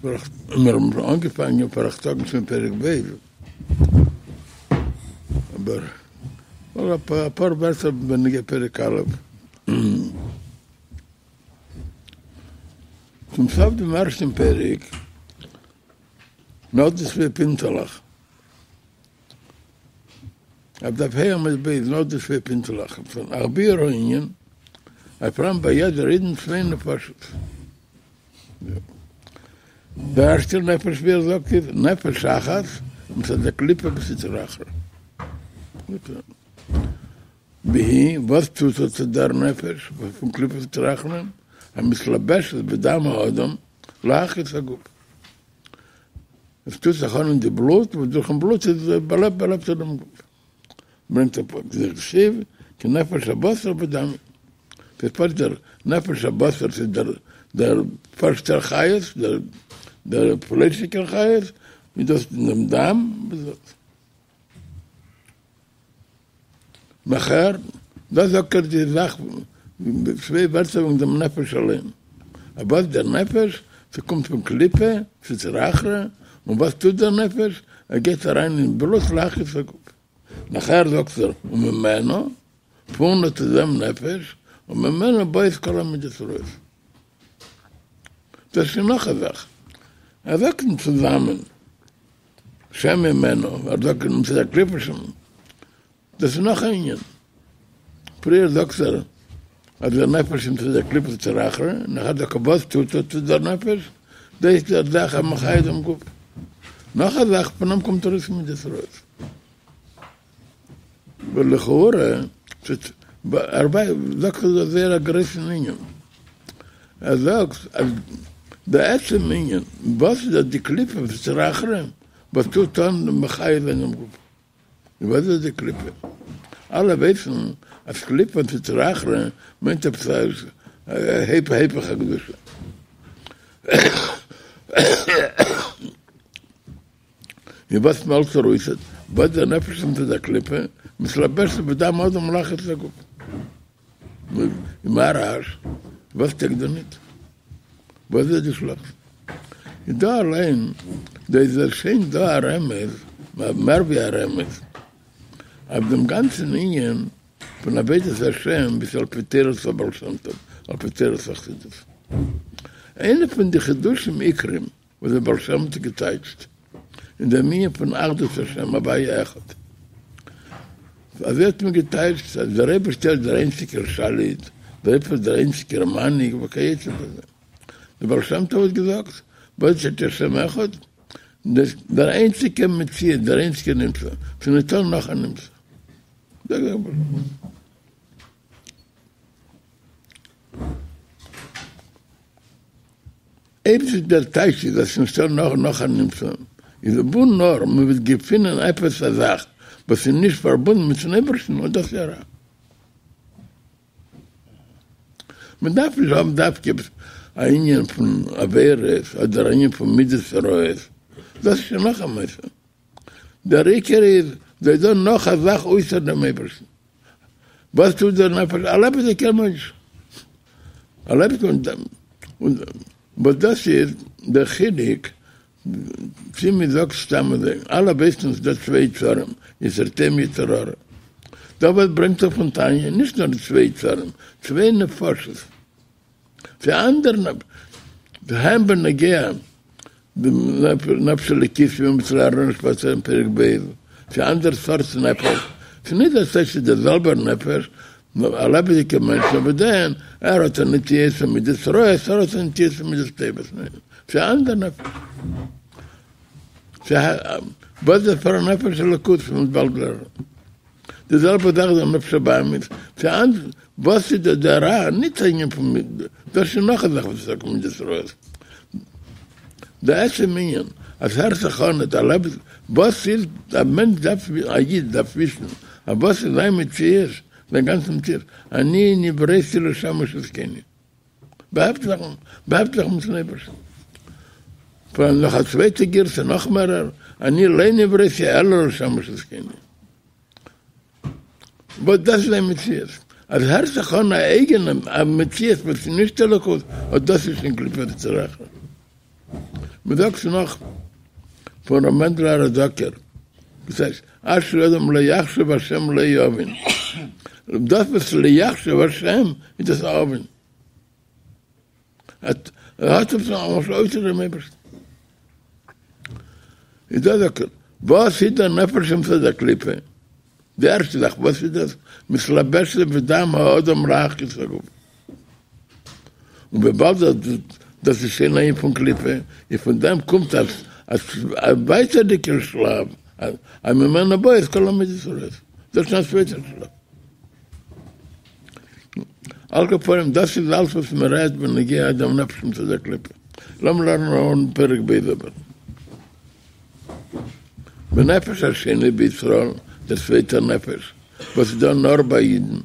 מיר האבן אנגעפאנגען פאראכטאגן שוין פרק ב', אבער אפאר ווערטער בנוגע פרק א'. צום סוף דעם ערשטן פרק, נאך די צוויי פינטעלעך, אויף דף ה' עמוד ב', נאך די צוויי פינטעלעך, פון אך ביאור הענין, אז פאראן ביי יעדער אידן צוויי נפשות. דער ערשטער נפש ווי ער זאגט איז נפש אחת מצד הקליפה וסטרא אחרא. והיא, וואס טוט אט דער נפש פון קליפה וסטרא אחרא? המתלבשת בדם האדם להחיות הגוף. עס טוט זיך אן אין די בלוט, וואס דורכן בלוט איז באלעבט באלעבט ער דעם גוף. ברענגט א פסוק דכתיב כי נפש הבשר בדם היא. ס'איז פשוט דער נפש הבשר ס'איז דער דער פשוט'ער חיות, דער דער פליישיגער חיות, איז דאס אין דעם דם, נאכער, דא זאגט ער די זאך צוויי ווערטער וועגן דעם נפש אליין. אז וואס דער נפש? ס'קומט פון קליפה, סטרא אחרא, און וואס טוט דער נפש? ער גייט אריין אין בלוט להחיות הגוף. נאכער זאגט ער וממנו, פון אט דעם נפש, וממנו באות כל המידות רעות. דאס איז נאך א זאך. ער זאגט נישט צוזאמען. שממנו, ער זאגט מצד הקליפה שם, דאס איז נאך א ענין. פריער זאגט ער אז דער נפש איז מצד הקליפה וסטרא אחרא, נאכער זאגט ער וואס טוט אט דער נפש, דאס איז דער זאך המחיה דעם גוף. נאך א זאך, פון אים קומט ארויס מידות רעות. ולכאורה, ער זאגט דא זייער א גרויסן ענין. ער זאגט אז די עצם ענין וואס איז די קליפה וסטרא אחרא וואס טוט אן מחיה זיין דעם גוף. און וואס איז די קליפה? אלע ווייסן אז קליפה און סטרא אחרא מיינט עפעס א היפך הקדושה. און וואס מעלדט ער אויס וואס דער נפש מצד הקליפה מתלבשת בדם האדם להחיות הגוף. און מה רעש? וואס טויג דא ניט? וואס איז די שלעכטס? איז דא אליין, דא איז שוין דא א רמז, מער ווי א רמז, אויף דעם גאנצן ענין פון עבודת השם ווי ס'איז על פי תורת הבעל שם טוב, על פי תורת החסידות. איינע פון די חידושים עיקרים וואס דער בעל שם האט געטייטשט אין דעם ענין פון אחדות השם הוויה אחד. אזוי האט מען געטייטשט אז דער אייבערשטער איז דער איינציגער שליט, דער אייבערשטער איז דער איינציגער מנהיג וכיוצא בזה. דער בעל שם טוב האט געזאגט, וואס איז השם אחד? דער איינציגער מציאות, דער איינציגער נמצא, ס'איז ניטא נאך א נמצא. אויב ס'איז דער טייטש איז אז ס'נישטא נאך נאך א נמצא, איז וואו נאר מ'וועט געפינען עפעס א זאך וואס איז נישט פארבונדן מיט'ן אייבערשטן, אט דאס איז א רע. מ'דארף נישט האבן דווקא עפעס א ענין פון עבירות אדער א ענין פון מידות רעות, דאס איז שוין נאך א מעשה. דער עיקר איז, ס'איז דא נאך א זאך אויסער דעם אייבערשטן. וואס טוט דער נפש? א לעבעדיגער מענטש. א לעבעדיגער מענטש. וואס דאס איז דער חילוק צי מען זאגט סתם אזוי, אלע ווייסן ס'איז דא צוויי יצרים, יצר טוב יצר הרע. דא וואס ברענגט ער פון תניא, נישט נאר צוויי יצרים, צוויי נפשות. צו אנדערע הן בנוגע די נפש אלוקית ווי מ'האט לערנען שפעטער אין פרק ב', ס'איז אנדערע סארט נפש, ס'איז נישט אז ס'איז דער זעלבער נפש, נאר א לעבעדיגער מענטש, אבער דען ער האט א נטיות פון מידות רעות, ער האט א נטיות פון מידות טובות, ניין, ס'איז א אנדער נפש. וואס איז פאר א נפש אלוקות ווי מ'וועט באלד לערנען. די זעלבע זאך איז א נפש הבהמית, וואס איז דא דער רע, נישט א ענין פון מידות, דאס איז נאך א זאך וואס איז טאקע מידות רעות. די עצם ענין אז הערט זיך אן אז א לעבעס, וואס איז, א מענטש דארף, א איד דארף וויסן אז וואס איז זיין מציאות, זיין גאנצע מציאות, אני נבראתי לשמש את קוני. באהעפט זיך מיטן אייבערשטן. פאראן נאך א צווייטע גירסא נאך מערער, אני לא נבראתי אלא לשמש את קוני. וואס דאס איז זיין מציאות. אז הערט זיך אן א אייגענע א מציאות וואס איז נישט אלוקות, אט דאס איז שוין קליפה וסטרא אחרא. מען זאגט נאך פון ר' מענדל האראדאקער, דאס הייסט, אשרי אדם לא יחשב השם לו און, דאס וואס לא יחשב השם איז דאס א עוון. ער האט עפעס א אויסער דעם אייבערשטן. איז דא זאגט ער, וואס איז דער נפש אמצעית דקליפה? די ערשטע זאך וואס איז דאס? מתלבשת בדם האדם להחיות הגוף. און וויבאלד דאס איז שוין א ענין פון קליפה, איז פון דעם קומט א ווייטערדיגער שלב, אז ממנו באות כל המידות הרעות. דאס איז שוין א צווייטער שלב. על כל פנים, דאס איז אלס וואס מען רעדט בנוגע דעם נפש אמצעית דקליפה. לאמיר לערנען אן פרק ב' אבער. ונפש השני בישראל, דער צווייטער נפש, וואס איז דא נאר ביי אידן.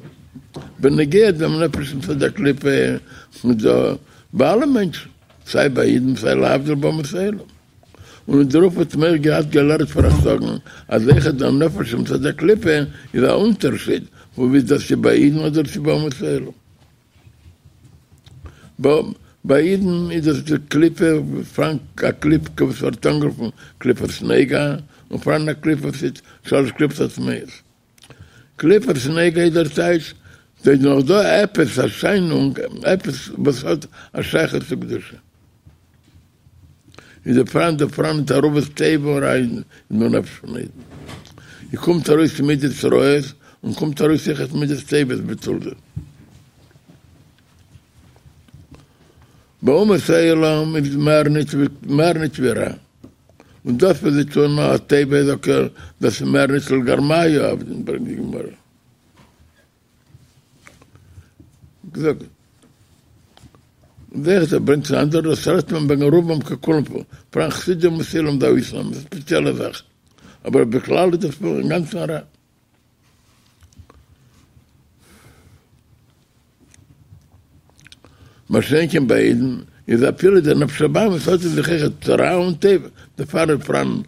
בנוגע דעם נפש אמצעית דקליפה, איז דא ביי אלע מענטשן, סיי ביי אידן סיי להבדיל באומות העולם. און אין דערויף האט מען געהאט געלערנט פאראויס זאגן אז אויכעט דער נפש אמצעית דקליפה איז א אונטערשיד פון ווי דאס איז ביי אידן אדער צו ביי אומות העולם. ביי אידן איז דאס די קליפה פאראן א קליפה וואס ווערט אנגערופן קליפת נוגה און פאראן א קליפה וואס איז שלש קליפות הטמאות. קליפת נוגה איז דער טייטש, ס'איז נאך דא עפעס א שיינונג, עפעס וואס האט א שייכות צו קדושה. איז דא פאראן דא פאראן תערובת טוב ורע אין דעם נפש פון אידן. און קומט ארויס מידות רעות און קומט ארויס אויכעט מידות טובות בתולדה. באומות העולם איז מער נישט מער נישט ווי רע. און דאס וואס זיי טוען נאר א טובה זאגט ער דאס איז מער נישט לגרמייהו עבדין ברענגט די גמרא. געזאגט. ווער עס ברענגט צו אנדערע דאס רעדט מען וועגן רובם ככולם פה, פאראן חסידי אומות העולם די אויסנאם איז א ספעציעלע זאך, אבער בכלל איז דאס אינגאנצן רע. מה שאין כן ביי אידן איז אפילו דער נפש הבהמית האט אין זיך אויכעט רע און טוב, דערפאר איז פאראן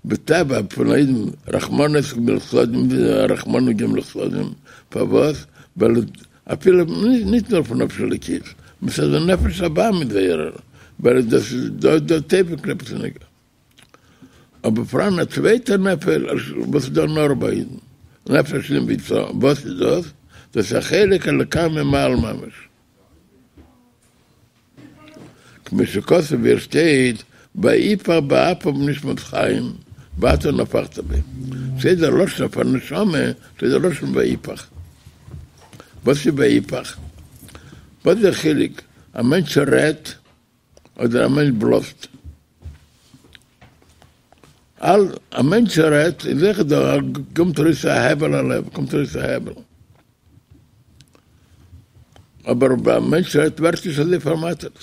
בטבע פון א אידן רחמנות וגמילות חסדים, רחמנות וגמילות חסדים, פארוואס? ווייל אפילו נישט נאר פון נפש אלוקית, מצד די נפש הבהמית זייערער, ווייל דאס איז דא דער טוב אין קליפת נוגה. אבער פאראן א צווייטער נפש וואס איז דא נאר ביי אידן, נפש השני בישראל, וואס איז דאס? דאס איז א חלק אלוקה ממעל ממש. כמו שכתוב ווי עס שטייט ויפח באפיו נשמת חיים ואתה נפחת בו, שטייט דער לשון פאר נשמה, שטייט דער לשון ויפח. וואס איז ויפח? וואס איז דער חילוק א מענטש רעדט אדער א מענטש בלאזט? א מענטש רעדט איז זיכער דא קומט ארויס א הבל הלב, קומט ארויס א הבל. אבער ביי א מענטש רעדט ווערט נישט אזוי פארמאטערט.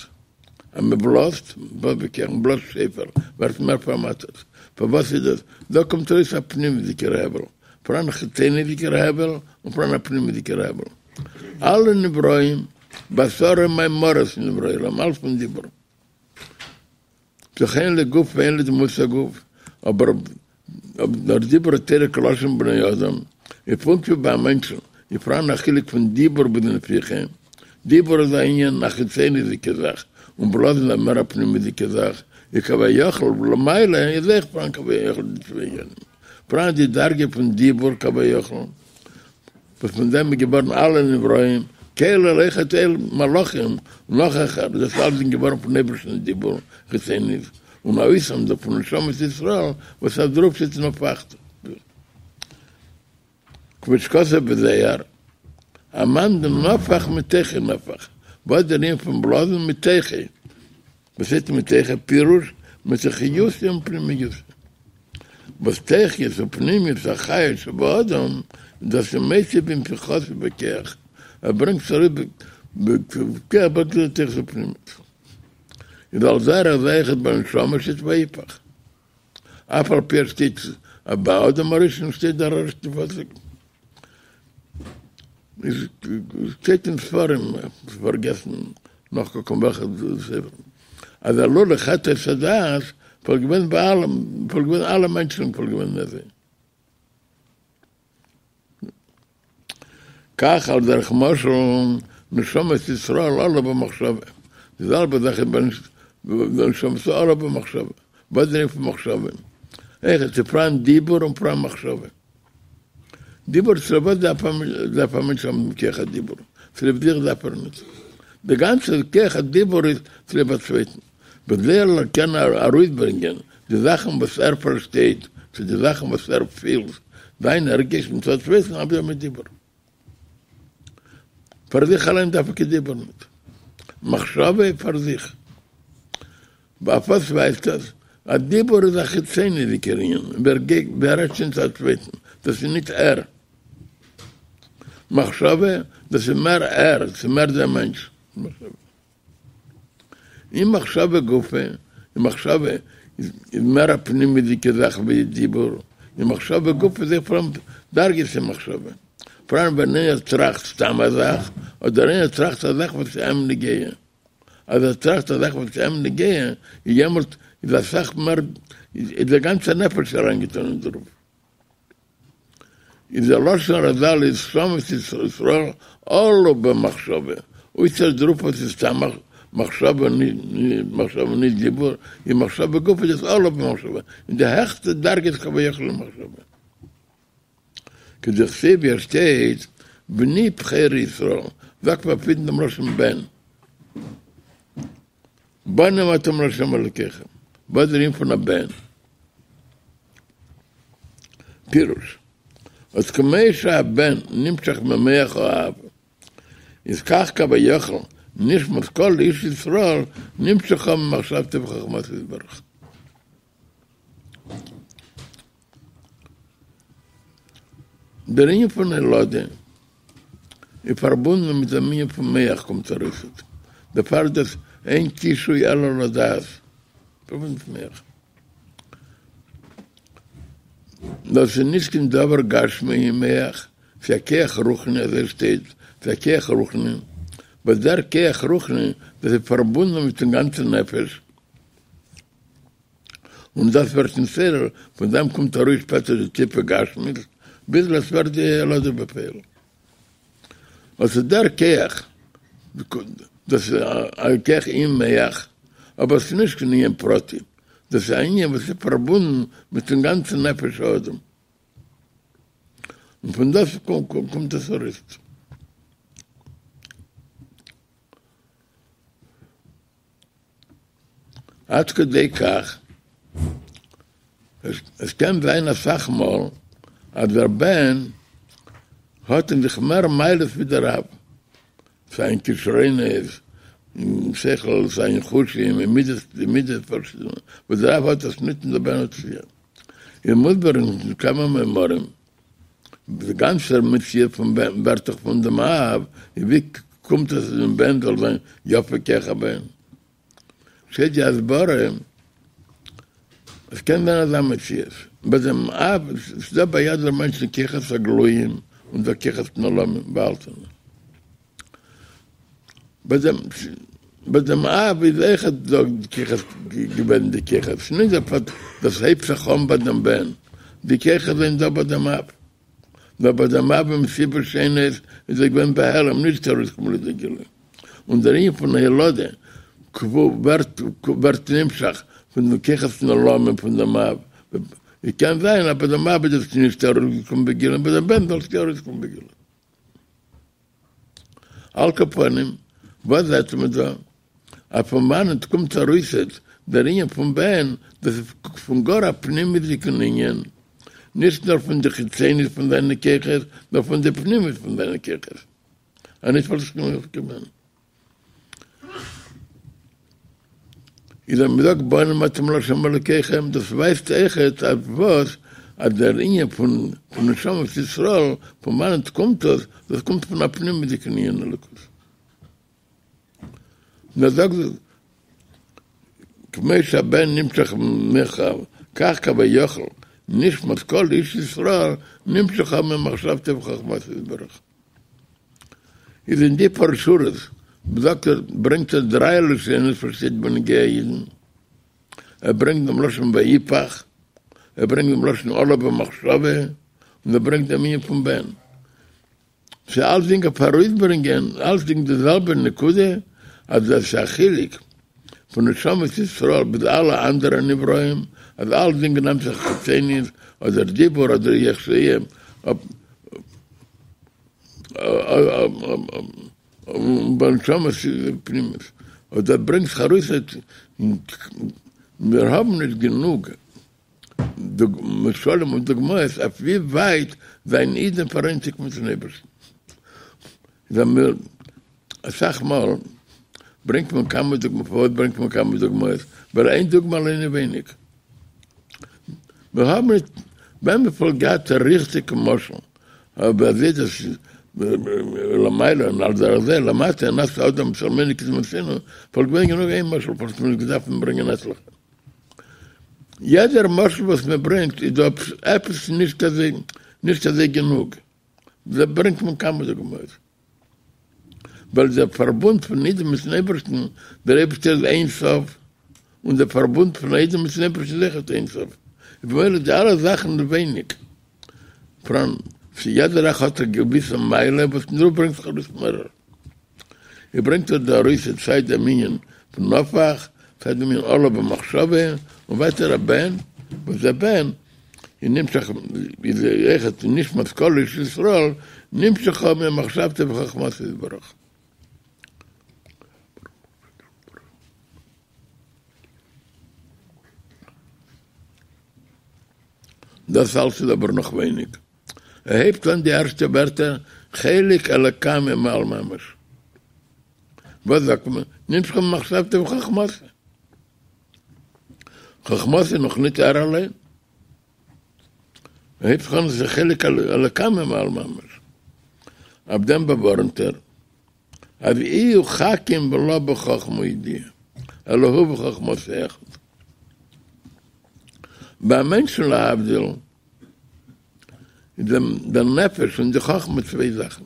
אז מען בלאזט, מען בלאזט שופר, ווערט מער פארמאטערט. פארוואס איז דאס? דא קומט ארויס א פנימיות'דיגער הבל. פאראן א חיצוניות'דיגער הבל און פאראן א פנימיות'דיגער הבל. אלע נבראים, בעשרה מאמרות נברא העולם, אלץ פון דיבור. דאך אין לו גוף ואין לו דמות הגוף, אבער נאר דיבור התורה כלשון בני אדם, איז פונקט ווי ביי א מענטשן איז פאראן א חילוק פון דיבור ביז נפיחה, דיבור איז א ענין א חיצוניות'דיגע זאך, און בלאזן איז א מער א פנימיות'דיגע זאך, איז כביכול למעלה איז אויך פאראן כביכול די צוויי ענינים, פאראן די דרגה פון דיבור כביכול, וואס פון דעם איז געווארן אלע נבראים, כולל אויכעט מלאכים און נאך העכער, דאס אלץ איז געווארן פון אייבערשטנ'ס דיבור חיצונית, און א אויסנאם דא פון נשמות ישראל וואס אויף דערויף שטייט נפחת. כמו שכתוב בזוהר, אמאן דנפח מתוכיה נפח, וואס איז דער ענין פון בלאזן מתוכיה? וואס הייסט מתוכיה? פירוש, מתוך חיותו ופנימיותו. וואס תוכיות ופנימיות החיות שבאדם, דאס איז מוציא בנפיחתו בכח, ער ברענגט עס ארויס בכח ברענגט ער תוכיות ופנימיות. איז על דרך זה אויכעט בנשמה שטייט ויפח. אף על פי אז שטייט אז ביי אדם הראשון שטייט דער ערשטע פסוק. איז שטייט אין ספרים, פארגעסן נאכקוקן וועלכע ספר, אז אלמלא חטא עץ הדעת וואלט געווען ביי אלעם, וואלט געווען אלע מענטשן וואלט געווען אזוי. כך על דרך משל נשמות ישראל עלו במחשבה, די זעלבע זאך איז ביי. ונשמתו עלה במחשבה, וואס איז דער ענין פון מחשבה? אויכעט ס'איז פאראן דיבור און פאראן מחשבה. דיבור צוליב וואס דארף דארף א מענטש האבן דעם כח הדיבור? צוליב זיך דארף ער נישט. דער גאנצער כח הדיבור איז צוליב א צווייטן. בכדי ער זאל קענען ארויסברענגען די זאכן וואס ער פארשטייט, צו די זאכן וואס ער פילט, זיינע הרגשים צו א צווייטן, ארבעט ער מיט דיבור. פאר זיך אליין דארף ער קיין דיבור ניט. מחשבה איז פאר זיך. אויף וואס ווייזט דאס? א דיבור איז א חיצוניות'דיגער ענין, ווי ער גייט, ווי ער רעדט שוין צו א צווייטן, דאס איז ניט ער. מחשבה, דאס איז מער ער, ס'איז מער דער מענטש. מחשבה. אין מחשבה גופא, אין מחשבה איז מער א פנימיות'דיגע זאך ווי דיבור, אין מחשבה גופא איז אויך פאראן דרגות אין מחשבה, פאראן ווען איינער טראכט סתם א זאך, אדער איינער טראכט א זאך וואס איז אים נוגע, אז ער טראכט א זאך וואס איז אים נוגע, איז יעמאלט איז אסאך מער, איז דער גאנצער נפש אריינגעטאן אין דערויף. איז דער לשון רז"ל איז נשמות ישראל עלו במחשבה, אויסער דערויף וואס איז סתם מחשבה מחשבה נישט דיבור, איז מחשבה גופא איז דאס עלו במחשבה, אין די העכסטע דרגות כביכול אין מחשבה. כדכתיב ווי עס שטייט בני בכורי ישראל, זאגט מען אויף אידן דעם לשון בן. בנים אתם לה' אלוקיכם, וואס איז דער ענין פון א בן? פירוש, אז כמו שהבן נמשך ממח האב, איז כך כביכול נשמת כל איש ישראל נמשכה ממחשבתו וחכמתו יתברך. דער ענין פון הולדה איז פארבונדן מיט דעם ענין פון מח קומט ארויס דערפאר איז דאס אין קישוי אלא לדעת, פארבונדן מיט מח. דאס איז נישט קיין דבר גשמי אין מח, ס'איז א כח רוחני אזוי שטייט, ס'איז א כח רוחני, וואס דער כח רוחני דאס איז פארבונדן מיטן גאנצן נפש, און דאס ווערט נתעורר, פון דעם קומט ארויס שפעטער די טיפע גשמיות, ביז עס ווערט די הולדה בפועל. וואס איז דער כח? דאס איז א כח אין מח, אבער עס איז נישט קיין ענין פרטי, דאס איז א ענין וואס איז פארבונדן מיטן גאנצן נפש האדם, און פון דאס קומט עס ארויס. עד כדי כך, עס קען זיין אסאך מאל אז דער בן האט אין זיך מער מעלות ווי דער אב, סיי אין כשרונות, אין שכל, סיי אין חושים, אין מידות, די מידות פארשידענע, וואס דער אב האט עס ניט און דער בן האט עס יא. איז מוסבר אין כמה מאמרים, די גאנצע מציאות פון בן ווערט דאך פון דעם אב, און ווי קומט עס אז דעם בן זאל זיין יפה כח הבן? שטייט די הסברה, עס קען זיין אזא מציאות, ביי דעם אב, ס'איז דא ביי יעדער מענטש די כוחות הגלויים און די כוחות נעלמים, באהאלטענע. ביי דעם ביי דעם אב איז אויכעט דא די כוחות געווען די כוחות, ס'איז נישט דער פשט דאס הייבט זיך אן ביי דעם בן, די כוחות זענען דא ביי דעם אב, נאר ביי דעם אב מסיבות שונות איז ער געווען בהעלם נישט ארויסגעקומען לידי גילוי, און דער ענין פון הולדה ווערט ווערט נמשך פון די כוחות נעלמים פון דעם אב, קען זיין אז ביי דעם אב איז עס נישט ארויסגעקומען בגילוי ביי דעם בן זאל עס יא ארויסקומען בגילוי. על כל פנים, וואס זעט מען דא? אז פון וואנעט קומט ארויסעט דער ענין פון בן, דאס איז פון גאר א פנימיות'דיגן ענין, נישט נאר פון די חיצוניות פון זיינע כוחות, נאר פון די פנימיות פון זיינע כוחות. אנישט וואלט עס נישט געווען. איז אז מ'זאגט בנים אתם לה' אלוקיכם, דאס ווייזט אויכעט אויף וואס אז דער ענין פון נשמות ישראל, פון וואנעט קומט דאס, דאס קומט פון א פנימיות'דיגן ענין אלוקות. און ער זאגט כמו שהבן נמשך ממח האב, כך כביכול נשמת כל איש ישראל נמשכה ממחשבתו וחכמתו יתברך. איז אין די פאר שורות זאגט ער, ברענגט ער דריי לשונות וואס שטייט בנוגע אידן, ער ברענגט דעם לשון ויפח, ער ברענגט דעם לשון עלה במחשבה, און ער ברענגט דעם ענין פון בן. ס'איז אלצדינג אויף ארויסברענגען אלצדינג די זעלבע נקודה, אז עס איז א חילוק. פון נשמות ישראל ביז אלע אנדערע נבראים, אז אלצדינג נעמט זיך חיצוניות, אדער דיבור אדער איך שיהיה, און ביי נשמות איז פנימיות, און דאס ברענגט זיך ארויס אז מיר האבן נישט גענוג משלים און דוגמאות אויף ווי ווייט זיינען אידן פאראיינציגט מיטן אייבערשטן. זענען מיר אסאך מאל ברענגט מען כמה דוגמאות, פארוואס ברענגט מען כמה דוגמאות? ווייל איין דוגמא אליין איז ווייניג. מיר האבן נישט ווען מען וואלט געהאט א ריכטיגע משל אבער אזוי דאס איז למעלה און על דרך זה למטה נעשה אדם בצלמנו כדמותינו וואלט געווען גענוג איין משל וואלט מען נישט געדארפט ברענגען עטליכע. יעדער משל וואס מען ברענגט איז דא עפעס נישט אזוי נישט אזוי גענוג. דא ברענגט מען כמה דוגמאות. ווייל דער פארבונד פון אידן מיטן אייבערשטן, דער אייבערשטער איז אין סוף, און דער פארבונד פון אידן מיטן אייבערשטן איז אויכעט אין סוף, איז במילא די אלע זאכן איז ווייניג. פאראן, צו יעדער זאך האט א געוויסע מעלה וואס פון דערויף ברענגט זיך ארויס מערער. ער ברענגט דא ארויס סיי דעם ענין פון נפח, סיי דעם ענין עלה במחשבה, און ווייטער א בן, וואס דער בן איז נמשך איז אויכעט נשמת כל איש ישראל נמשכה ממחשבתו וחכמתו יתברך. דאס אלץ איז אבער נאך ווייניג. ער הייבט אן די ערשטע ווערטער חלק אלקה ממעל ממש. וואס זאגט מען? נמשכה ממחשבתו וחכמתו. חכמתו איז נאך ניט ער אליין. ער הייבט זיך אן עס איז חלק אלקה ממעל ממש. אויף דעם באווארענט ער אז איהו חכים ולא בחכמה וידיעה, אלא הוא וחכמתו אחד. ביי א מענטשן להבדיל איז דער נפש און די חכמה צוויי זאכן.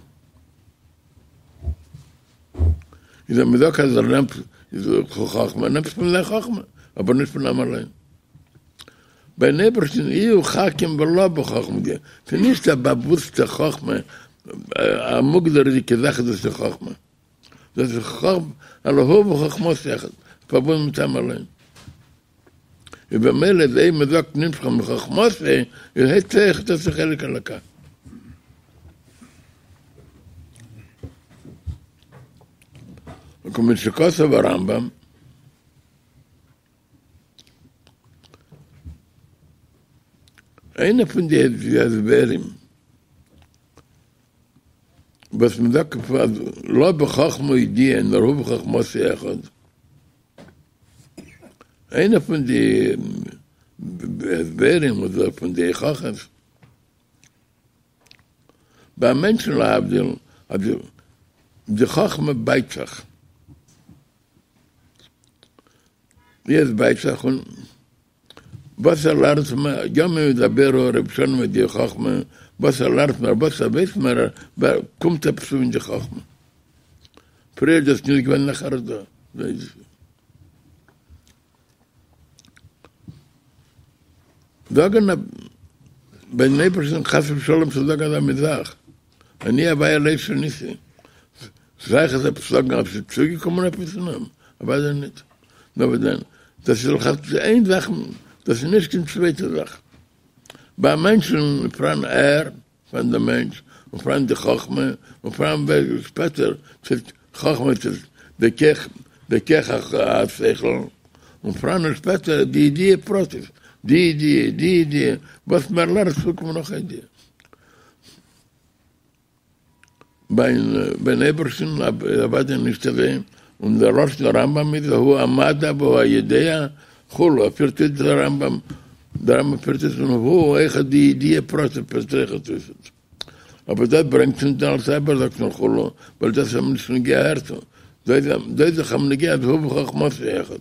איז אז מ'זאגט אז ער נעמט חכמה, נעמט פון זיין חכמה, אבער נישט פון אים אליין. ביים אייבערשטן איהו חכים ולא בחכמה, ס'איז נישט א באוואוסטע חכמה, א מוגדר'דיגע זאך איז דאס די חכמה. דאס איז חכמה, אלא הוא וחכמתו אחד, פארבונדן מיט אים אליין. איז במילא איז אויב מ'זאגט נמשכה מחכמתו, איז הייסט אויך דאס איז חלק אלוקה. וכמו שכתב הרמב"ם, איינע פון די הסברים וואס מ'זאגט אז לא בחכמה וידיעה נאר הוא וחכמתו אחד, איינע פון די הסברים אדער פון די הוכחות ביי א מענטשן להבדיל אז די חכמה בייט זיך, ווי עס בייט זיך און וואס ער לערנט מער, ימים ידברו ר' שלום מיט די חכמה, וואס ער לערנט מער, וואס ער ווייסט מער, קומט עפעס צו אין די חכמה. פריער איז דאס נישט געווען נאכער איז דא. זאגן ביים אייבערשטן חס ושלום צו זאגן אזא מין זאך, אני הוויה לא שניתי, שייך עס עפעס זאגן אז ס'איז צוגעקומען עפעס אין אים? אוודאי ניט. נאר וואס דען, דאס איז לכתחילה איין זאך, דאס איז נישט קיין צווייטע זאך. ביי א מענטשן איז פאראן ער, פאראן דער מענטש, און פאראן די חכמה, און פאראן ווער שפעטער צו חכמה צו די כח, די כח השכל, און פאראן שפעטער די ידיעה פרטית, די ידיעה, די ידיעה, וואס מער לערנסט צוקומען נאך א ידיעה. ביים אייבערשטן אוודאי נישט אזוי, און דער לשון הרמב"ם איז הוא המדע והוא היודע כו', ער פירט אויס דער רמב"ם, דער רמב"ם פירט אויס פון הוא אויך די ידיעה פרטית פירט אויך אויס, אבער דאס ברענגט אונז דער אלטער רבי זאגט נאר כו', ווייל דאס איז אים נישט נוגע אהערצו, דא איז דאך אים נוגע אז הוא וחכמתו אחד.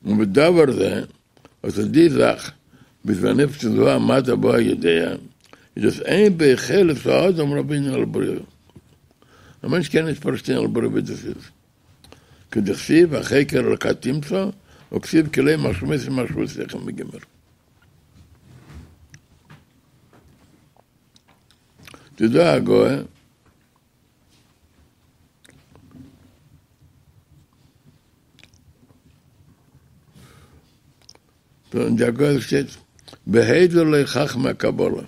און בדבר זה, אט די זאך, בזמן נפש הוא המדע והוא היודע, איז דאס אין ביכולת האדם להבין על בוריו. א מענטש קען נישט פארשטיין על בוריו ווי דאס איז. כדכתיב החוקר אלקה תמצא, וכתיב כי לא מחשבותי מחשבותיכם וגומר. ס'איז דא א הגהה. אין די הגהה שטייט והודו לו חכמי הקבלה,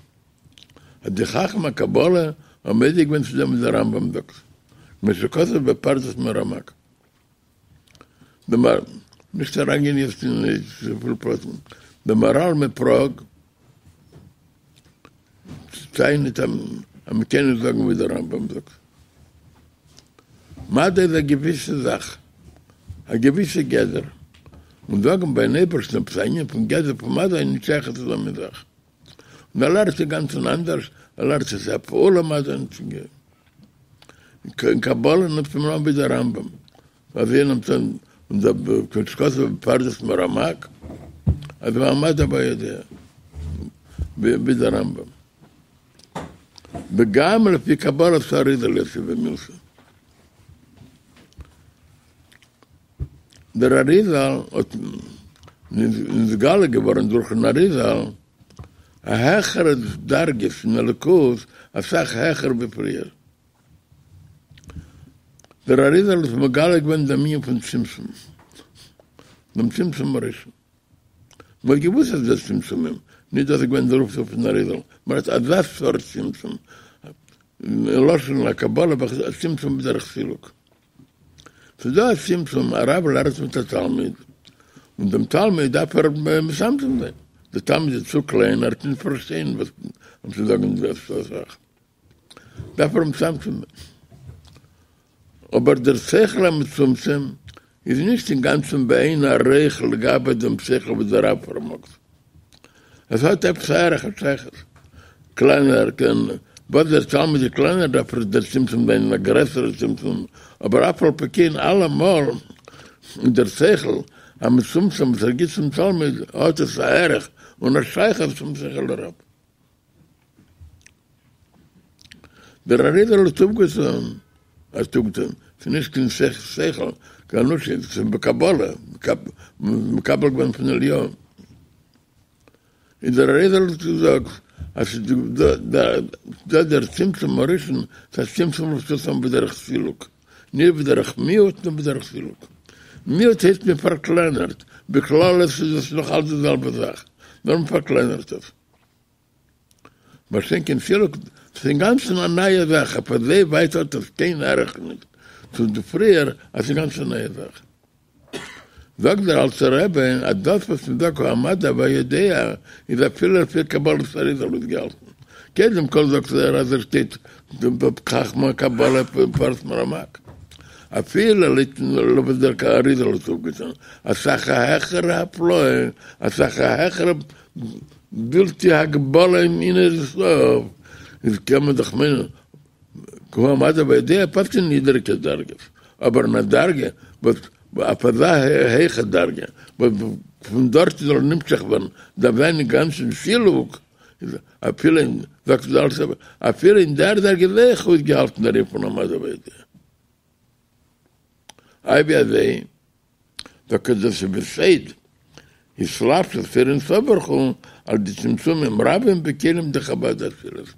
אז די חכמי הקבלה האבן מודה געווען צו דעם וואס דער רמב"ם זאגט, כמו שכתוב בפרדס מרמ"ק. דער נישט אריינגיין יעצט אין צופיל פרטים, דער מהר"ל מפראג טענה'ט אז מ'קען נישט זאגן ווי דער רמב"ם זאגט. מדע איז א געוויסע זאך, א געוויסע גדר, און זאגן ביים אייבערשטן עפעס א ענין פון גדר פון מדע איז נישט שייך צו אזא מין זאך. און ער לערנט אינגאנצן אנדערש, ער לערנט עס איז א פעולה מדע אין קבלה נעמט מען אן ווי דער רמב"ם, אזוי נעמט אן און דער כמו שכתוב בפרדס מרמ"ק, אז המדע הוי' יודע ווי דער רמב"ם. וגם לפי קבלת האריז"ל יתיב מילתא. דער אריז"ל האט נתגלה געווארן דורכן אריז"ל א העכערע דרגה פון אלוקות, אסאך העכער ווי פריער. דער אריז"ל האט מגלה געווען דעם ענין פון צמצום, דעם צמצום הראשון. מען האט געוואוסט אז ס'איז דא צמצומים, נישט דאס איז געווען דער אויפטו פון אריז"ל, מען רעדט אזא סארט צמצום, אין לשון הקבלה א צמצום בדרך סילוק. ס'איז דא א צמצום, א רב לערנט מיט א תלמיד, און דעם תלמיד דארף ער מצמצם זיין, דער תלמיד איז צו קליין, ער וועט נישט פארשטיין וואס צו זאגן די זאך. דארף ער מצמצם זיין. אבער דער שכל המצומצם איז נישט אינגאנצן באין ערוך לגבי דעם שכל וואס דער רב פארמאגט. עס האט עפעס א ערך א שייכות. קלענער קען, וואס דער תלמיד איז קלענער דארף ער דער צמצום זיין אין א גרעסערע צמצום, אבער אף על פי כן אלעמאל איז דער שכל המצומצם וואס ער גיט צום תלמיד האט עס א ערך און א שייכות צום שכל הרב. דער אריז"ל האט אויפגעטון, האט אויפגעטון, ס'איז נישט קיין שכל, קיין אנושי, ס'איז בקבלה, מקבל געווען פון אליהו. איז דער אריז"ל האט געזאגט אז ס'איז דא דער צמצום הראשון, ס'איז א צמצום וואס טוט אן בדרך סילוק, נישט בדרך מיעוט נאר בדרך סילוק. מיעוט הייסט מען פארקלענערט, בכללות איז עס נאך אלץ די זעלבע זאך, נאר מען פארקלענערט עס. מה שאין כן סילוק, ס'איז אינגאנצן א נייע זאך, אויף אזוי ווייט האט עס קיין ערך נישט צו די פריער, אז ס'איז אינגאנצן א נייע זאך. זאגט דער אלטער רבי אז דאס וואס מ'זאגט המדע הוי' יודע איז אפילו לפי קבלת אריז"ל אויסגעהאלטן. קודם כל זאגט ער אז עס שטייט חכמי הקבלה פרדס מרמ"ק. אפילו לויט וואס דער אריז"ל האט אויפגעטון, אסאך א העכערע הפלאה, אסאך א העכערע בלתי הגבלה אין אין סוף, איז קען מען דאך מיינען הוא המדע הוי' יודע פאסט אין נידעריגע דרגות, אבער אין א דרגה וואס אויף אזא הייכע דרגה וואס פון דארט זאל נמשך ווערן דארף זיין אינגאנצן סילוק, איז אפילו אין זאגט דער אלטער רבי אפילו אין דער דרגה איז אויך אויסגעהאלטן דער ענין פון המדע הוי' יודע. איי ווי אזוי? זאגט ער דאס איז בסוד התלבשות אור אין סוף ברוך הוא על ידי צמצומים רבים בכלים דחב"ד דאצילות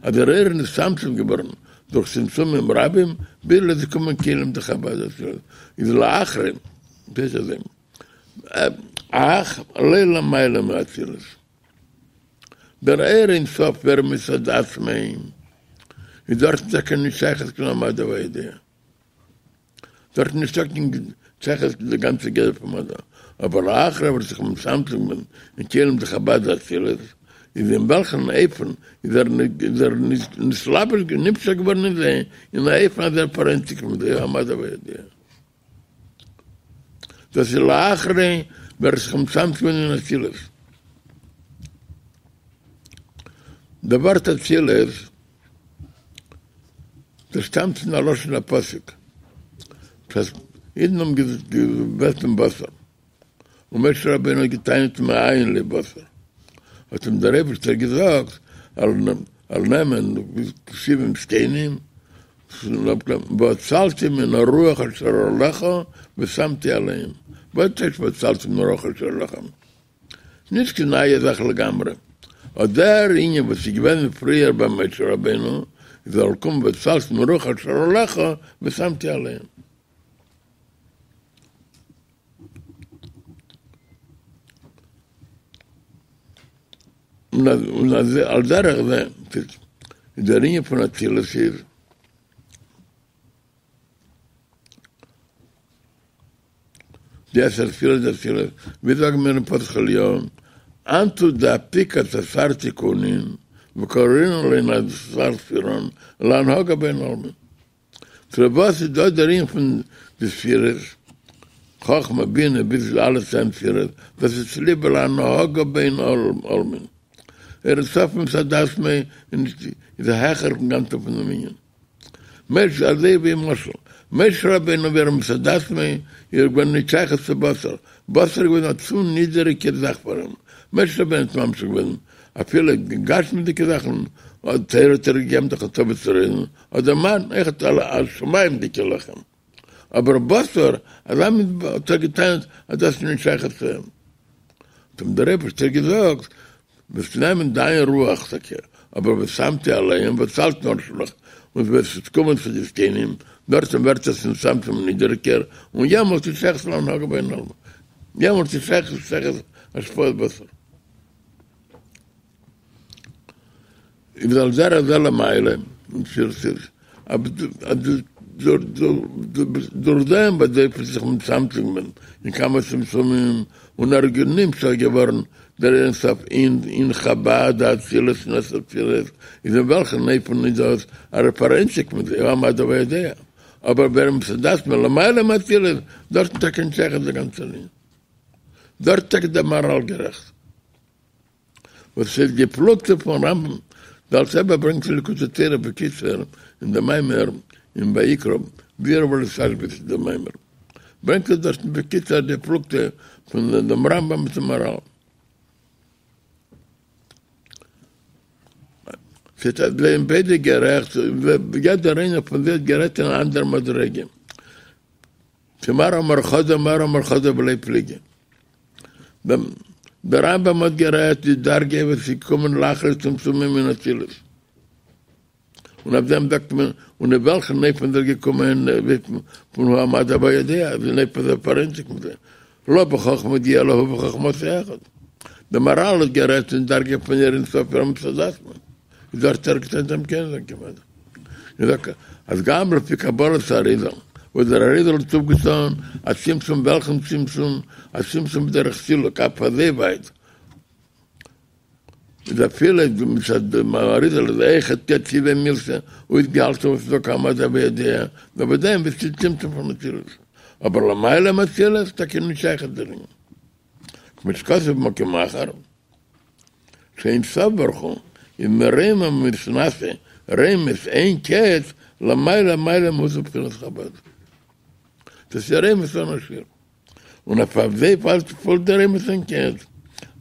אז דער אור איז נתצמצם געווארן דורך צמצומים רבים ביז עס איז געקומען כלים דחב"ד דאצילות איז לאחרי דאס איז אך לא למעלה מאצילות דער אור אין סוף ווערט מצד עצמו איז דארטן טאקע נישט שייכות קיין המדע הוי' יודע. דארט איז נישטא קיין שייכות צו די גאנצע גדר פון מדע, אבער לאחר וואס זיך מצמצם געווען אין כלים דחב"ד דאצילות, איז אין וועלכן אופן איז ער איז ער נתלבש נמשך געווארן אין זיי אין א אופן אז ער פאראיינציגט מיט זיי המדע הוי' יודע. דאס איז לאחרי ווי ער האט זיך מצמצם געווען אין אצילות. די ווארט אצילות דאס שטאמט פון א לשון הפסוק, אז אידן האבן געבעטן בשר, און משה רבינו האט געטענה'ט מאין לי בשר, האט אים דער אייבערשטער געזאגט, ער זאל נעמען שבעים זקנים, ואצלתי מן הרוח אשר עליך ושמתי עליהם, וואס טייטש ואצלתי מן הרוח אשר עליך? נישט קיין נייע זאך לגמרי, אט דער ענין וואס איז געווען פריער ביי משה רבינו, איז ער געקומען ואצלתי מרוח אשר עליך ושמתי עליהם. און על דרך זה איז דער ענין פון אצילות איז. די עשר ספירות דאצילות, ווי זאגן מיר אין פתח אליהו, אנטו דאפיקת עשר תיקונין וקרינן להון עשר ספירן להנהגה בהון עלמין. צו וואס איז דא דער ענין פון די ספירות, חכמה בינה ביז אלע צען ספירות, דאס איז צוליב להנהגה בהון עלמין. אור אין סוף מצד עצמו איז העכער פון גאנצן פון דעם ענין. משה אזוי ווי למשל משה רבינו ווי ער מצד עצמו איז געווען נישט שייך צו בשר, בשר איז געווען א צו נידעריגע זאך פאר אים, משה רבינו האט ממשיך געווען אפילו גשמיות'דיגע זאכן, תורה האט ער געגעבן דאך הטבת צוררים, אדער מן, אויכעט א שמים'דיגע לחם, אבער בשר, אזא מין האט ער געטענה'ט אז דאס איז נישט שייך צו אים. האט אים דער אייבערשטער געזאגט, וועסט נעמען דיין רוח טאקע, אבער ושמתי עליהם ואצלתי מרוח אשר עליך, און וועסט קומען צו די זקנים, דארטן ווערט עס נתצמצם נידעריגער, און יעמאלט איז שייך להנהגה בהון עלמין, יעמאלט איז שייך שייך השפעת בשר. איז על דרך זה למעלה, און דורך דעם וואס דער אופן זיך מצמצם געווען אין כמה צמצומים און ער איז נמשך געווארן דער אין סוף אין אין חב"ד דאצילות אין עשר ספירות איז אין וועלכן אופן איז דאס ער איז פאראיינציגט מיט זיי הוא המדע והיודע אבער ווען מצד עצמו למעלה מאצילות דארטן טאקע נישט שייך דער גאנצער ענין דארט טאקע דער מהר"ל גערעכט. וואס איז די פלוגתא פון רמב ם? דער אלטער רבי ברענגט אין ליקוטי תורה בקיצור אין דעם מאמר אין ויקרא ביאור בעל התשבץ דעם מאמר ברענגט ער דארטן בקיצור די פלוגתא פון דעם רמב ם מיטן מהרל. ס'איז אז זיי זענען ביידע גערעכט, יעדער איינער פון זיי האט גערעדט אין א אנדערע מדריגה. מר אמר חדא מר אמר חדא ולא פליגי. דער רמב ם האט גערעדט די דרגה וואס איז געקומען לאחר צמצומים אין אצילות, און אויף דעם זאגט מען, און אין וועלכן אופן איז ער געקומען פון הוא המדע והיודע, אז אין אופן איז ער פאראיינציגט מיט זיי, לא בחכמה ידיעה אלא הוא וחכמתו אחד. דער מהרל האט גערעדט אין דרגה פון אור אין סוף מצד עצמו, איז דארט ערגעץ אין דעם קען זיין כמעט. איך זאג אז גם לפי קבלת האריזל, וואס דער אריזל האט אויפגעטאן א צמצום וועלכן צמצום? א צמצום בדרך סילוק אויף אזוי ווייט איז אפילו מצד דעם אריזל איז אויכעט יציבא מילתא אויסגעהאלטן וואס איז דא קיין מדע וידיעה, נאר ביי דעם ווי ס'איז צמצום פון אצילות, אבער למעלה מאצילות טאקע נישט שייך דערין, כמו שכתוב במקום אחר. שאין סוף ברוך הוא איז מרומם ומתנשא רוממות אין קץ למעלה מעלה מהות ובחינת חבד. דאס איז רוממות אן א שיעור. און אויף אזוי פאלט די רוממות אין קץ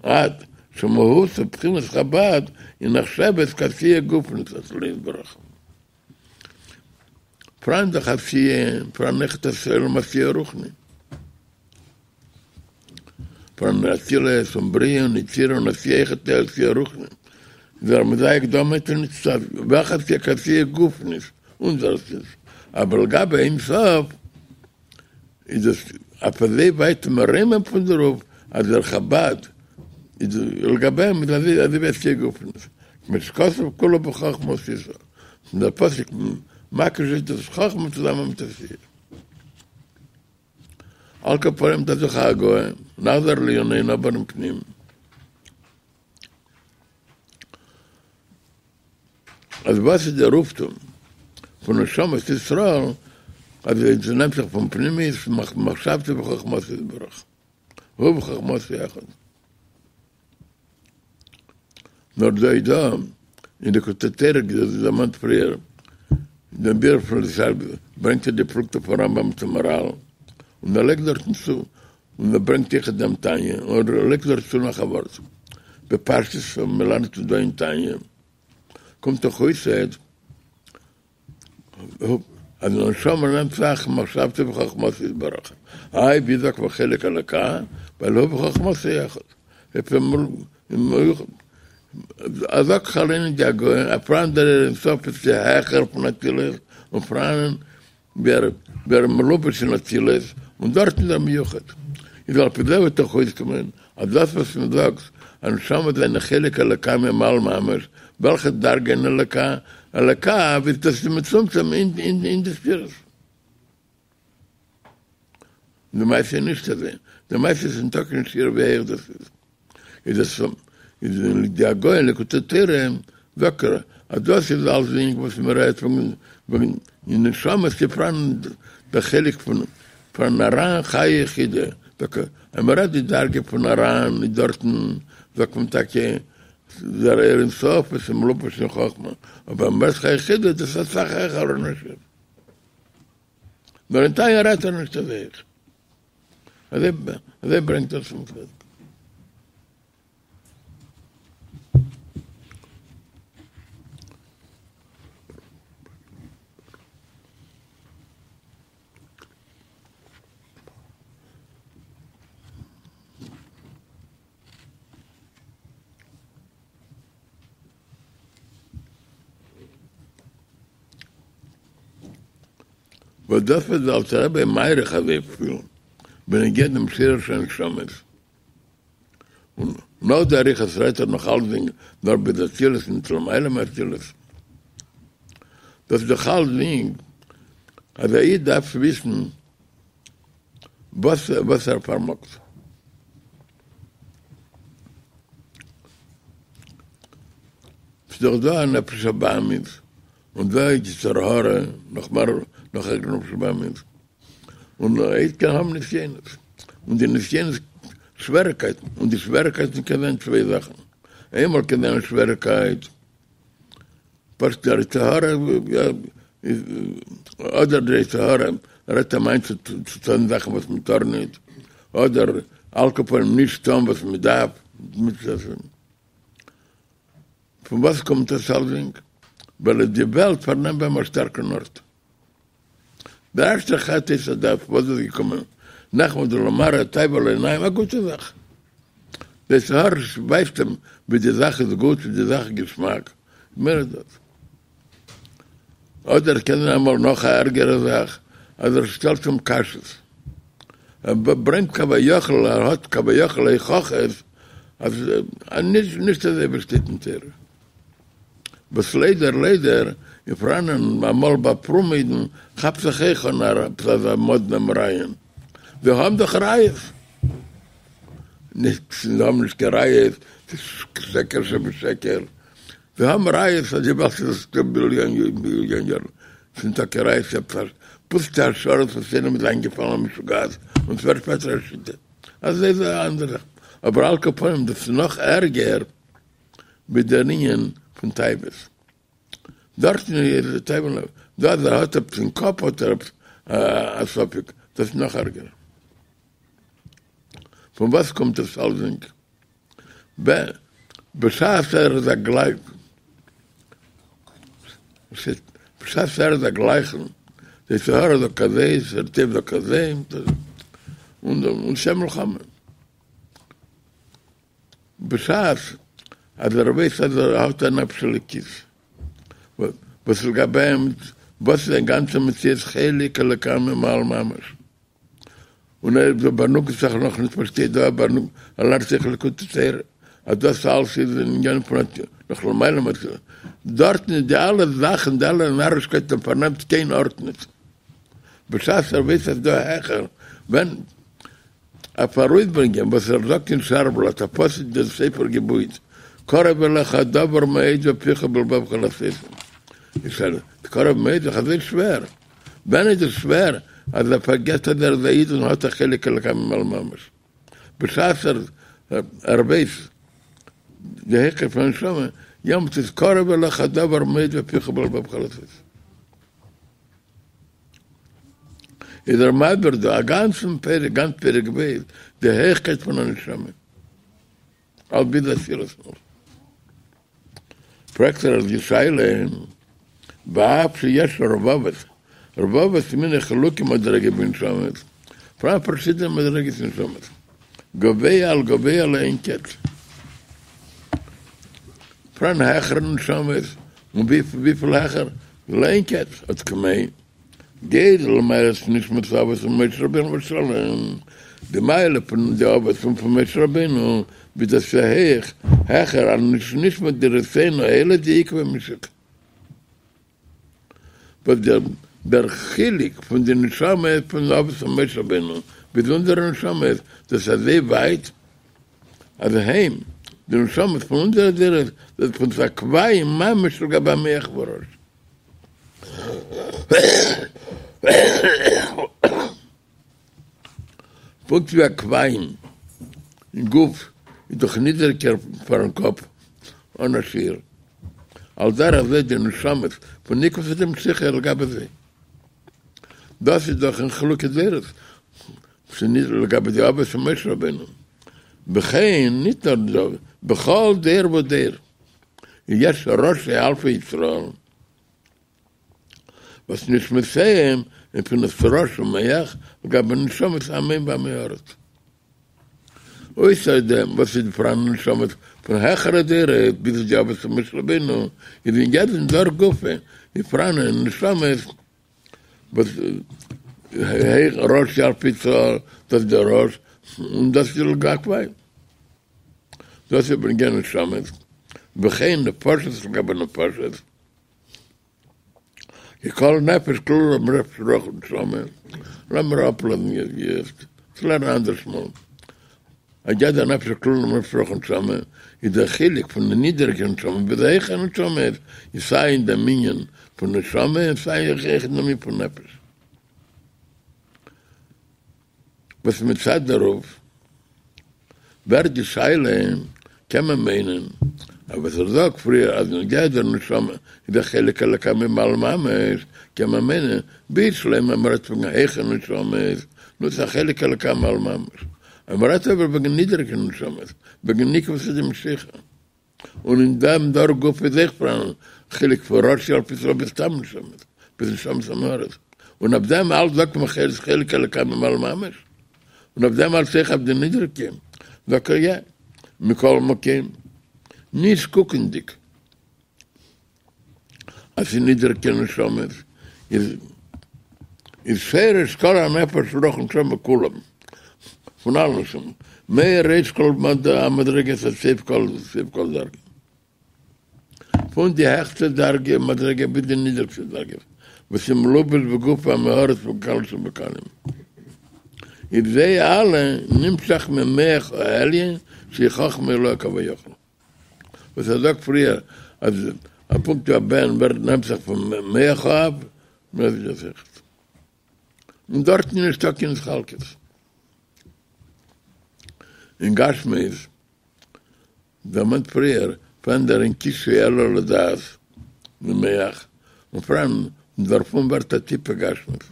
עד שמהות ובחינת חבד היא נחשבת כעשייה גופנית אצלו יתברך. פאראן דאך עשייה, פאראן אויכעט עולם עשייה רוחני. פאראן אצילות און בריאה און יצירה און עשייה אויכעט עשייה רוחני. איז ער מדייק דא מיינט ער נישט וועלכע עשייה כעשייה גופנית, אונזער עשייה. אבער לגבי אין סוף איז עס אויף אזוי ווייט מרומם פון דערויף אז דער חבד איז לגבי אים איז אזוי ווי עשייה גופנית. כמו שכתוב כולו בחכמה עשית. און דער פסוק מקיש איז דאס חכמה צוזאמען מיט עשייה. על כל פנים דאס איז הגהה, נחזור לענייננו אבער אין פנים. אז וואס איז דער אויפטון פון נשמות ישראל אז עס נעמט זיך פון פנימיות מחשבתו וחכמתו יתברך, הוא וחכמתו אחד. נאר דא איז דא אין ליקוטי תורה ווי דערמאנט פריער דעם ביאור פון לא תשבית ברענגט ער די פלוגתא פון רמב ם צום מהרל און ער לייגט דארטן צו און ער ברענגט אויכעט דעם תניא און ער לייגט דארט צו נאך א ווארט בפשטות וואס מ'לערנט דא אין תניא קומט דאך אויס אז די נשמה נעמט זיך מחשבתו וחכמתו יתברך, איי ווי זאגט מען חלק אלוקה, ווייל הוא וחכמתו אחד, ער זאגט זיך אליין אין די הגהה, אז פאראן דער אור אין סוף איז העכער פון אצילות, און פאראן ווי ער ווי ער איז מלובש אין אצילות, און דארטן איז ער מיוחד. איז על פי זה וועט דאך אויסקומען אז דאס וואס מען זאגט אז נשמות זענען חלק אלוקה ממעל ממש, וועלכע דרגה אין אלוקה? אלוקה ווי דאס איז מצומצם אין די ספירות. די מעשה איז נישט אזוי, די מעשה איז ניטא קיין שיעור ווי הויך דאס איז, איז עס איז אין די הגהה אין ליקוטי תורה זאגט ער אז דאס איז אלסדינג וואס מען רעדט וועגן וועגן אין נשמות איז פאראן דער חלק פון פון אר"ן חיה יחידה, זאגט ער אז מען רעדט די דרגה פון אר"ן איז דארטן זאגט מען טאקע דער אור אין סוף וואס איז מלובש אין חכמה, אבער מען רעדט חיה יחידה דאס איז אסאך העכער און נישט. נאר אין תניא רעדט ער נישט אזוי אויך. אזוי ברענגט ער צום צדק. וואס דאס איז דער אלטער רבי מאריך אזויפיל בנוגע דעם שורש הנשמות, און נאך די אריכות רעדט ער נאך אלסדינג נאר ביז אצילות ניט למעלה מאצילות. דאס איז דאך אלסדינג אז א איד דארף וויסן וואס וואס ער פארמאגט. ס'איז דאך דא א נפש הבהמית און דא איז יצר הרע נאך מער נאך ערגער נפש הבהמית און א איד קען האבן נסיונות און די נסיונות שוועריקייטן און די שוועריקייטן קען זיין צוויי זאכן איינמאל קען זיין א שוועריקייט פשוט דער יצר הרע איז אדער דער יצר הרע רעדט אים איין צו טון זאכן וואס מען טאר נישט אדער על כל פנים נישט טון וואס מען דארף פון וואס קומט עס אלסדינג? ווייל די וועלט פארנעמט ביי אים א שטארקן ארט. דער ערשטער חטא עץ הדעת וואס איז געקומען נחמדה למראה תאוה לעיניים א גוטע זאך. דער יצר הרע ווייזט אים ווי די זאך איז גוט ווי די זאך איז געשמאק מער איז דאס. אדער קען זיין אמאל נאך א ערגערע זאך אז ער שטעלט אים קשיות. ער ברענגט כביכול ער האט כביכול הוכחות אז נישט אזוי ווי שטייט אין תורה. וואס ליידער ליידער איז פאראנען אמאל ביי פרומע אידן כאפט זיך אויך אן עפעס אזא מאדנעם רעיון, זיי האבן דאך ראיות. נישט זיי האבן נישט קיין ראיות, ס'איז שקר שבשקר. זיי האבן ראיות אז די וועלט איז דא ביליאן ביליאן יארן, ס'איז טאקע ראיות עפעס א פוסטע השערות וואס איינעם איז איינגעפאלן א משוגעת און ס'ווערט שפעטער א שיטה, אזוי איז א אנדערע זאך, אבער על כל פנים דאס איז נאך ערגער ווי דער ענין פון תאוות, דארטן איז די תאווה, דא אז ער האט עפעס אין קאפ האט ער עפעס א ספק, דאס איז נאך ערגער. פון וואס קומט עס אלסדינג? ב. בשעת ער איז א גלייב. בשעת ער איז א גלייכן, די יצר הרע זאגט אזוי, יצר טוב זאגט אזוי, און ס'איז מלחמה. בשעת אז ער ווייסט אז ער האט א נפש אלוקית, וואס לגבי אים, וואס איז זיין גאנצע מציאות חלק אלוקה ממעל ממש. און ער איז בנוגע זיך נאך נישט פארשטייט דא בנוגע ער לערנט זיך ליקוטי תורה אז דאס אלס איז אין ענין פון נאך למעלה מזה דארטן איז די אלע זאכן די אלע נארישקייטן פארנעמט קיין ארט נישט בשעת ער ווייס אז דא העכער ווען אויף ארויסברענגען וואס ער זאגט אין שער בלאט אויף וואס איז דער ספר געבויט קרוב אליך הדבר מאוד בפיך ובלבבך לעשותו איז קרוב מאוד איז אזוי שווער. ווען איז עס שווער אז ער פארגעסט אז ער איז א איד און האט א חלק אלוקה ממעל ממש בשעת ער ווייס די העכקייט פון נשמה, יעמאלט איז קרוב אליך הדבר מאוד בפיך ובלבבך לעשות. איז ער מסביר דא א גאנצן פרק, גאנץ פרק ב', די העכקייט פון א נשמה. על ביז אצילות נאר. פרעגט ער די שאלה, ואף שיש רבבות, רבבות מיני חילוקי מדרגה בנשמות, פאראן פארשידענע מדרגות אין נשמות, גבוה על גבוה לאין קץ. פאראן העכערע נשמות, און וויפיל העכער? לאין קץ, עד כמו גודל מעלת נשמת אבות ומשה רבינו עליו השלום, די מעלה פון די אבות און פון משה רבינו, ווי דאס איז הויך העכער על נשמת דורותינו אלה דעקבא משיחא. וואס דער דער חילוק פון די נשמה פון אבות און משה רבינו ביז אונזערע נשמות, דאס איז אזוי ווייט אז הם, די נשמות פון אונזערע דורות, זענען בבחינת עקביים ממש לגבי המח והראש. פונקט ווי עקביים אין גוף איז דאך נידעריגער פארן קאפ אן א שיעור, על דרך זה די נשמות פון עקבתא דמשיחא לגבי זיי. דאס איז דאך אין חילוקי דורות לגבי די אבות און משה רבינו. וכן, ניט נאר דא, בכל דור ודור יש ראשי אלפי ישראל. וואס נשמותיהם הן בחינת ראש ומח לגבי נשמות עמים ועמי הארץ. אויסער דעם וואס איז פאראן נשמות פון העכערע דורות ביז די אבות און משה רבינו, איז אין יעדן דור גופא איז פאראן נשמות וואס ראשי אלפי ישראל, דאס איז דער ראש און דאס איז עקביים. דאס איז בנוגע נשמות, וכן נפשות לגבי נפשות. כי כל נפש כלולה בנפש רוח ונשמה, לאמיר אפלאזן יעצט, צו לערנען אנדערש מאל. אז יעדע נפש כלולה בנפש רוח ונשמה, איז דער חילוק פון די נידעריגע נשמה ביז די העכערע נשמה איז סיי אין דעם ענין פון נשמה און סיי אויך אין דעם ענין פון נפש. וואס מצד דערויף ווערט די שאלה, קען מען מיינען אז וואס ער זאגט פריער אז בנוגע דער נשמה איז א חלק אלוקה ממעל ממש, קען מען מיינען בשלמא אז מ'רעדט וועגן העכערע נשמות, נו ס'איז א חלק אלוקה ממעל ממש, אז מ'רעדט אבער וועגן נידעריגע נשמות, וועגן עקבתא דמשיחא. און אין דעם דור גופא איז אויך פאראן חילוק פון ראשי אלפי ישראל ביז סתם נשמות, ביז נשמות עמי הארץ, און אויף דעם אלץ זאגט מען חלק חלק אלוקה ממעל ממש, און אויף דעם אלץ אויך אויף די נידריגע זאגט ער יא, מכל מקום, נישט קוקנדיג אז ס'איז נידריגע נשמות, איז איז שרש כל הנפש רוח ונשמה כולם, פון אלע נשמות, מריש כל המדרגות עד סוף כל סוף כל דרגה. פון די העכסטע דרגה מדרגה ביז די נידריגסטע דרגה, וואס איז מלובש בגוף עם הארץ בקל שבקלים. איז זיי אלע נמשך ממח העליון שהיא חכמה עילאה כביכול. וואס ער זאגט פריער אז א פונקט ווי א בן ווערט נמשך פון מח האב, און דארטן איז נישטא קיין התחלקות. אין גשמיות, דערמאנט פריער, פאראן דער אין קישוי אלא לדעת ממח, און פאראן דערפון ווערט א טיפה גשמיות.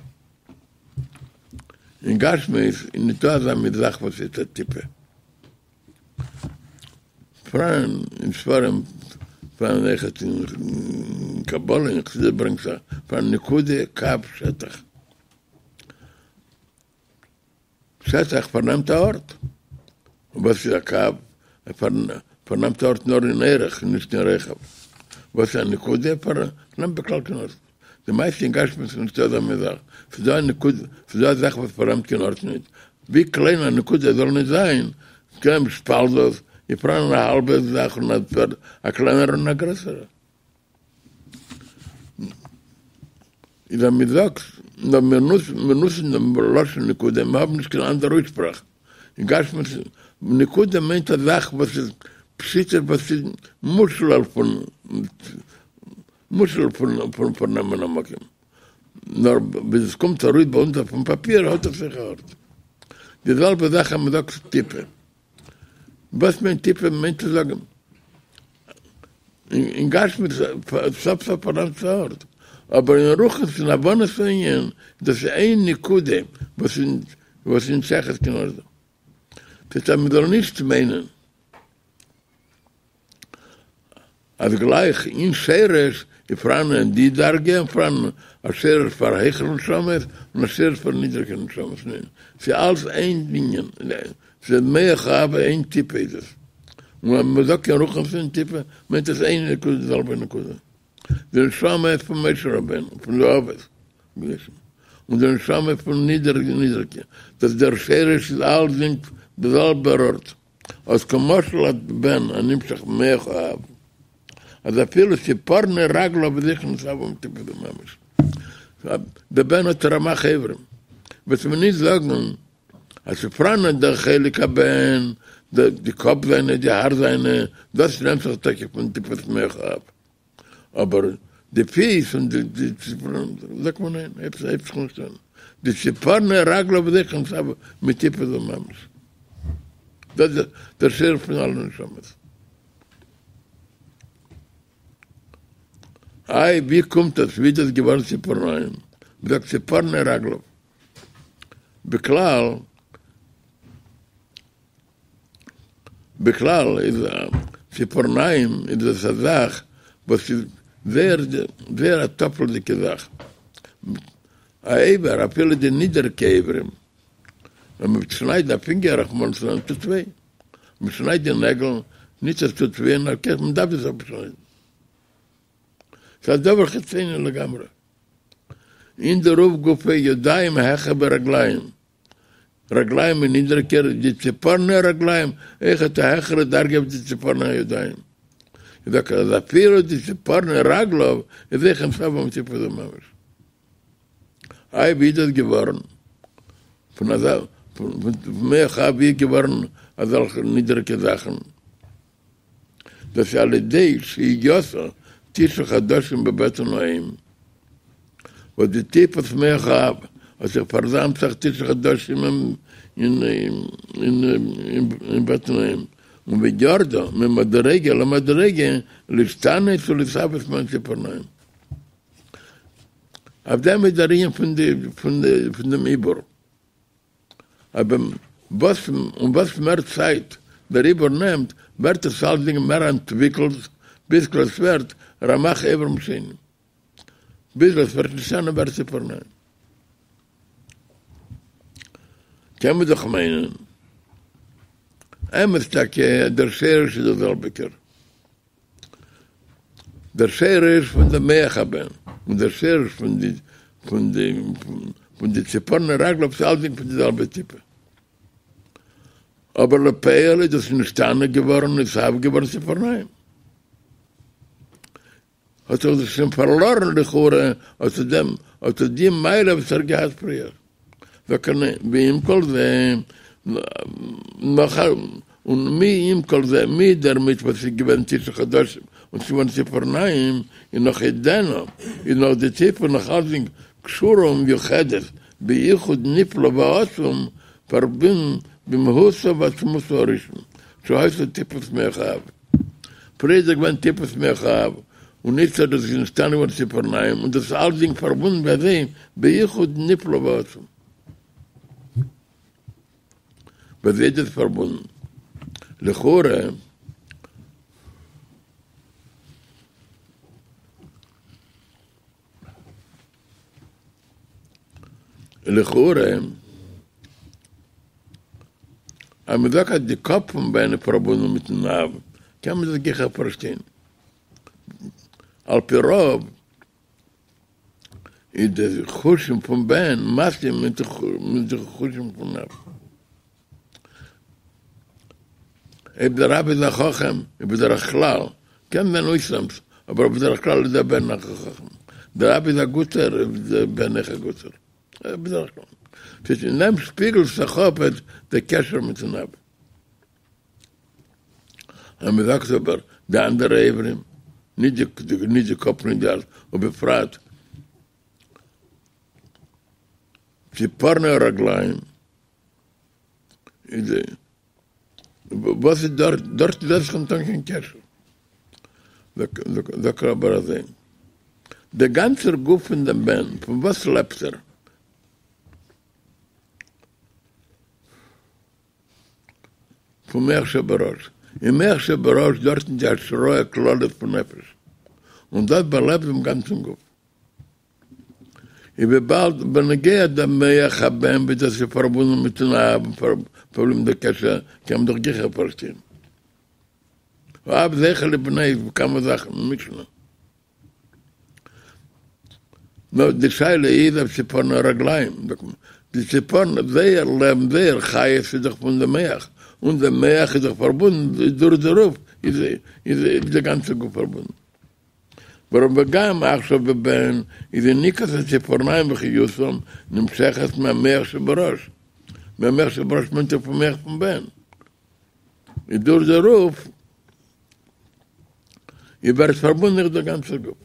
אין גשמיות איז ניטא אזא מין זאך וואס הייסט א טיפה. פאראן אין ספרים, פאראן אויכעט אין קבלה אין חסידות ברענגט זיך פאראן נקודה קו שטח. שטח פארנעמט א ארט. און וואס איז א קו? ער פארנעמט א ארט נאר אין אורך נישט אין רוחב. וואס איז א נקודה? פארנעמט בכלל קיין ארט. די מעשה אין גשמיות איז נישטא אזא מין זאך, ס'איז דא א נקודה, ס'איז דא א זאך וואס פארנעמט קיין ארט נישט, ווי קליין א נקודה זאל נישט זיין, ס'קען שפאלט דאס, איז פאראן א האלבע זאך און א קלענערע און א גרעסערע. איז אז מ'זאגט, נאר מיר נוצן דעם לשון נקודה, מיר האבן נישט קיין אנדערע אויסשפראך. אין גשמיות, נקודה מיינט א זאך וואס איז פשיטא וואס איז מושלל פון מושלל פון פארנעמען א מקום. נאר ווי עס קומט ארויס ביי אונז אויפן פאפיר האט עס אויך א ארט. די זעלבע זאך אז מ'זאגט טיפה. וואס מיינט טיפה? מיינט צו זאגן אין גשמיות סוף סוף פארנעמט עס א ארט. אבער אין רוחניות אין הבנת הענין דאס איז איין נקודה וואס איז נישט שייך קיין ארט. ס'הייסט אז מ'זאל נישט מיינען אז גלייך אין שרש איז פאראן די דרגה און פאראן א שרש פאר העכערע נשמות און א שרש פאר נידריגע נשמות, ניין, ס'איז אלץ איין ענין, ס'איז מח האב איין טיפה איז עס. און ווען מען זאגט אין רוחניות און טיפה מיינט עס איין נקודה די זעלבע נקודה. די נשמה פון משה רבינו פון די אבות הקדושים און די נשמה פון נידעריגע דאס דער שרש איז אלסדינג די זעלבער ארט אז כמשל הבן הנמשך ממח האב אז אפילו ציפורני רגליו איז אויך נתהווה מטיפה זו ממש דער בן האט רמח איברים וועט מען נישט זאגן אז ס'פאראן דער חלק הבן, די קאפ זיינע, די האר זיינע, דאס נעמט זיך טאקע פון טיפת מח האב, אבער די פיס און די ציפורניים, זאגט מען ניין, הייבט זיך נישט אן, די ציפורני רגליו איז אויך נתהווה מטיפה זו ממש, דאס איז דער שורש פון אלע נשמות. איי ווי קומט דאס, ווי איז דאס געווארן ציפורניים, מ'זאגט ציפורני רגליו. בכלל, בכלל איז ציפורניים איז דאס א זאך וואס איז זייער זייער א טפל'דיגע זאך, א אבר אפילו די נידעריגע אברים, ווען מען שניידט א פינגער רחמנא לצלן טוט וויי, מען שניידט די נעגל, נישט עס טוט וויי נאר מען דארף עס אפשניידן, ס'איז א דבר חיצוני לגמרי. אין דערויף גופא ידיים העכער ווי רגליים, רגליים איז נידריגער, די ציפורני הרגליים אויכעט א העכערע דרגה ווי די ציפורני הידיים. איז דאך אז אפילו די ציפורני רגליו איז אויך נתהווה מטיפה זו ממש. איי ווי איז דאס געווארן? פון אזא פון מח האב ווי איז געווארן אזעלכע נידריגע זאכן? דאס איז על ידי שהייתה תשעה חדשים בבטן האם, וואס די טיפת מח האב האט זיך פארזאמט זיך תשעה חדשים אין בטן האם, און וירדה ממדרגה למדרגה להשתנות ולהתהוות מעין ציפורניים. אויף דעם איז דער ענין פון דעם עיבור. אבער וואס און וואס מער צייט דער עיבור נעמט, ווערט עס אלסדינג מער אנטוויקלט, ביז עס ווערט רמח איברים שונים, ביז עס ווערט נשתנה ווערט ציפורניים. קען מען דאך מיינען, אמת טאקע דער שרש איז דער זעלביגער. דער שרש פון דעם מח הבן און דער שרש פון די פון די פון די ציפורני רגליו איז אלסדינג פון די זעלבע טיפה. אבער לפועל איז דאס נשתנה געווארן און נתהווה געווארן ציפורניים. האט זיך דאס שוין פארלארן לכאורה אט דעם אט די מעלה וואס ער האט געהאט פריער. ועם כל זה, נאך א, און מי עם כל זה, מיט דערמיט וואס איז געווען תשעה חדשים און ס'איז געווארן ציפורניים, איז נאך עודנה, איז נאך די טיפה נאך אלסדינג קשורה ומיוחדת ביחוד נפלא ועצום, פארבונדן במהותו ועצמותו הראשון, שהיתה טיפת מח האב. פריער איז געווען טיפת מח האב, און איצטער איז דאס נשתנה געווארן ציפורניים, און דאס איז אלסדינג פארבונדן ווי אזוי ביחוד נפלא ועצום. ווי אזוי איז דאס פארבונדן? לכאורה. לכאורה אז מען זאגט אז די קאפ פון בן איז פארבונדן מיטן אב, קען מען דאס גיכער פארשטיין. על פי רוב איז די חושים פון בן מתאים מיט די חושים פון אב. אויב דער אב איז א חכם, איז בדרך כלל, קען זיין אויסנאמס, אבער בדרך כלל איז דער בן אויך א חכם. דער אב איז א גוטער, איז דער בן אויך א גוטער. בדרך כלל. ס'איז אין דעם שפיגלט זיך אפ דער קשר מיטן אב. אז מען זאגט אבער די אנדערע איברים, נישט די קאפ נישט די הארץ, ובפרט ציפורני הרגליים, איז וואס איז דארט, דארט איז דאך ניטא קיין קשר. זאגט ער אבער אזוי, דער גאנצער גוף פון דעם בן, פון וואס לעבט ער? פון מח שבראש, אין מח שבראש דארט איז די השראה כללית פון נפש, און דאס באלעבט דעם גאנצן גוף. איז וויבאלד בנוגע דעם מח הבן ווי דאס איז פארבונדן מיטן אב און פארבליבן דער קשר, קען מען דאך גיכער פארשטיין. האב זוכה לבנו כמה זאכן אין משנה. נאר די שאלה איז אויף ציפורני הרגליים, די ציפורן זייער לעבן זייער חיות איז דאך פון די מח, און די מח איז דאך פארבונדן דורך דערויף איז איז די גאנצע גוף פארבונדן. ווארום וגם עכשיו בבן איז יניקת הציפורניים וחיותם נמשכת מהמח שבראש, מהמח שבראש מיינט ער פון מח פון בן, איז דורך דערויף איז ווערט פארבונדן אויך דער גאנצער גוף.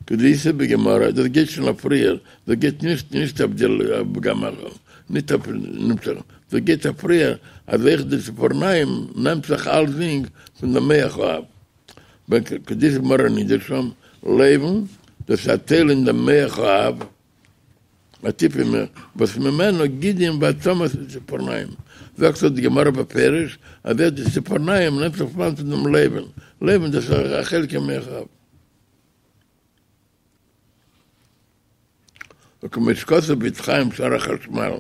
כדאיתא בגמרא, דאס גייט שוין אויף פריער, דאס גייט נישט נישט אויף די וגם עכשיו, נישט אויף נמשך, דאס גייט אויף פריער אז אויך די ציפורניים נעמט זיך אלסדינג פון דעם מח האב. כדאיתא בגמרא נידה שם, לובן, דאס איז א טייל אין דעם מח האב. א טיפה מח, וואס ממנו גידים ועצמות הציפורניים, זאגט דאך די גמרא בפירוש אז אויך די ציפורניים נעמט זיך פון דעם לובן, לובן דאס איז א חלק אין מח האב. וכמו שכתוב בעץ חיים שער החשמל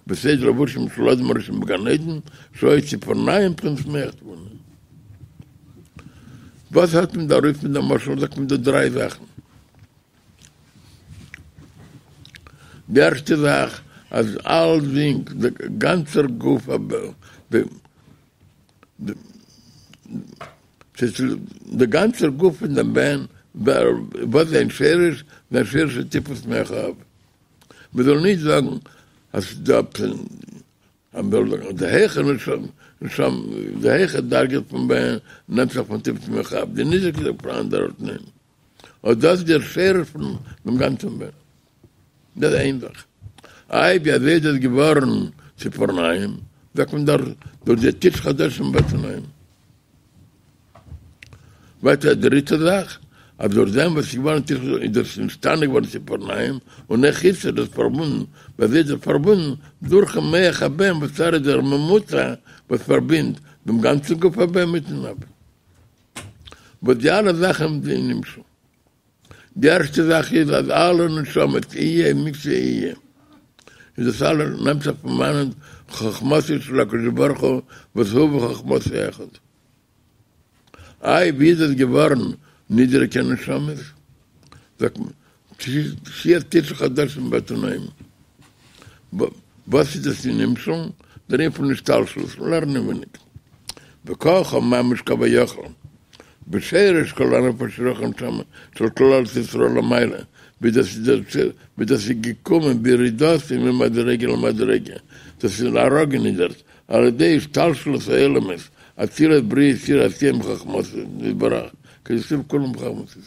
בסדר לבושים של אדם הראשון בגן עדן שהיו ציפורניים בחינת מח תבונה. וואס האט מען דא ארויס מיט דעם משל זאגט מען דא דריי זאכן. די ערשטע זאך אז אלסדינג די גאנצער גוף די גאנצער גוף פון דעם בן וואס זיין שרש זיין שרש איז טיפת מח האב מען זאל נישט זאגן אז ס'דא די העכערע נשמה די העכערע דרגה פון בן נעמט זיך פון טיפת מח האב די נידריגע פון אנדערע ארט ניין. אט דאס איז דער שרש פון דעם גאנצן בן. דאס איז איין זאך. איי ווי אזוי איז דאס געווארן ציפורניים? זאגט מען דאך דורך די תשעה חדשים בבטן האם. ווייטער א דריטע זאך, אז דורך דעם וואס איז געווארן תשעה איז דאס נשתנה געווארן ציפורניים, און אויך איצט איז דאס פארבונדן, ווי אזוי איז דאס פארבונדן? דורכן מח הבן וואס ער איז דער ממוצע וואס פארבינדט דעם גאנצן גוף הבן מיטן אב. וואס די אלע זאכן זענען נמשל. די ערשטע זאך איז אז אלע נשמות יהיה מי שיהיה, איז דאס אלע נעמט זיך פון וואנעט חכמתו של הקדוש ברוך הוא וואס הוא וחכמתו אחד. איי ווי איז דאס געווארן נידעריגע נשמות? זאגט מען שהיית תשעה חדשים בבטן האם. וואס איז דאס אין נמשל? דער ענין פון השתלשלות, לערן אינעווייניג. וככה ממש כביכול, בשרש כל הנפש רוח הנשמה של כללות ישראל למעלה, ווי דאס איז ווי דאס איז געקומען בירידתו ממדרגה למדרגה, דאס איז אראפגענידערט על ידי השתלשלות העולמות, אצילות בריאה יצירה עשייה מחכמתו יתברך, כדכתיב כולם בחכמתו.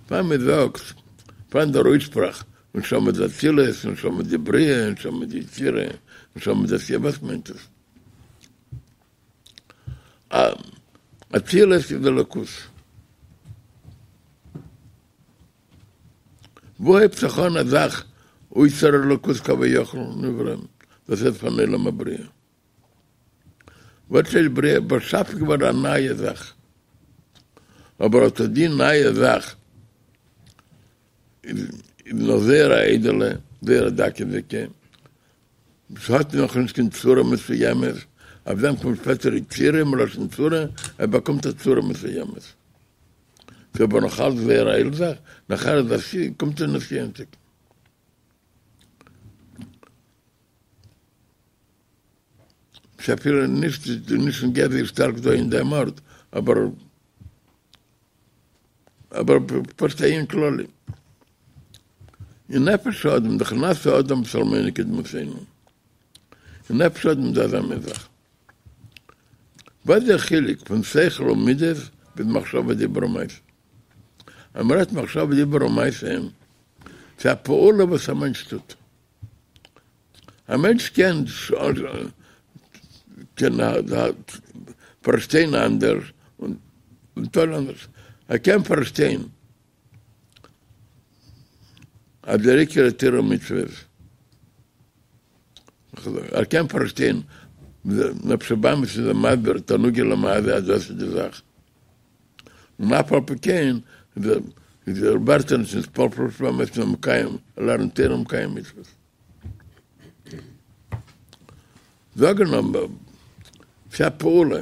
פאר מען זאגט פאראן דער אויסשפראך נשמה דאצילות, נשמה דבריאה, נשמה דיצירה, נשמה דעשיה, וואס מיינט עס? אצילות איז אלוקות. וואו הייבט זיך אן א זאך אויסער אלוקות כביכול נבראים? דאס הייסט פון עולם הבריאה. וואס איז בריאה? באשאפן געווארן א נייע זאך. אבער אט די נייע זאך איז נאך זייער א איידעלע, זייער א דקות'דיגע, ס'האט נאכנישט קיין צורה מסוימת, אויף דעם קומט שפעטער יצירה מלשון צורה, ער באקומט א צורה מסוימת. ס'איז אבער נאך אלץ זייער א איידל זאך, נאכער איז עשיה, קומט אן עשיה און תיקון. ס'איז אפילו נישט נישט נוגע זייער שטארק דא אין דעם ארט, אבער אבער פשוט א ענין כללי. אין נפש האדם דאך נעשה אדם בצלמנו כדמותנו. אין נפש האדם איז דא אזא מין זאך. וואס איז דער חילוק פון שכל און מידות ביז מחשבה דיבור ומעשה? אז מ'רעדט מחשבה דיבור ומעשה, ס'איז א פעולה וואס א מענטש טוט. א מענטש קען קען פארשטיין אנדערש און טון אנדערש. ער קען פארשטיין אז דער עיקר איז תורה ומצוות. ער קען פארשטיין, נפש הבהמית איז מסביר תענוג עולם הזה אז דאס איז די זאך. און אף על פי כן איז ער ווערט ער נישט נתפעל פון נפש הבהמית נאר מקיים, ער לערנט תורה און מקיים מצוות. זאגן אבער ס'איז א פעולה.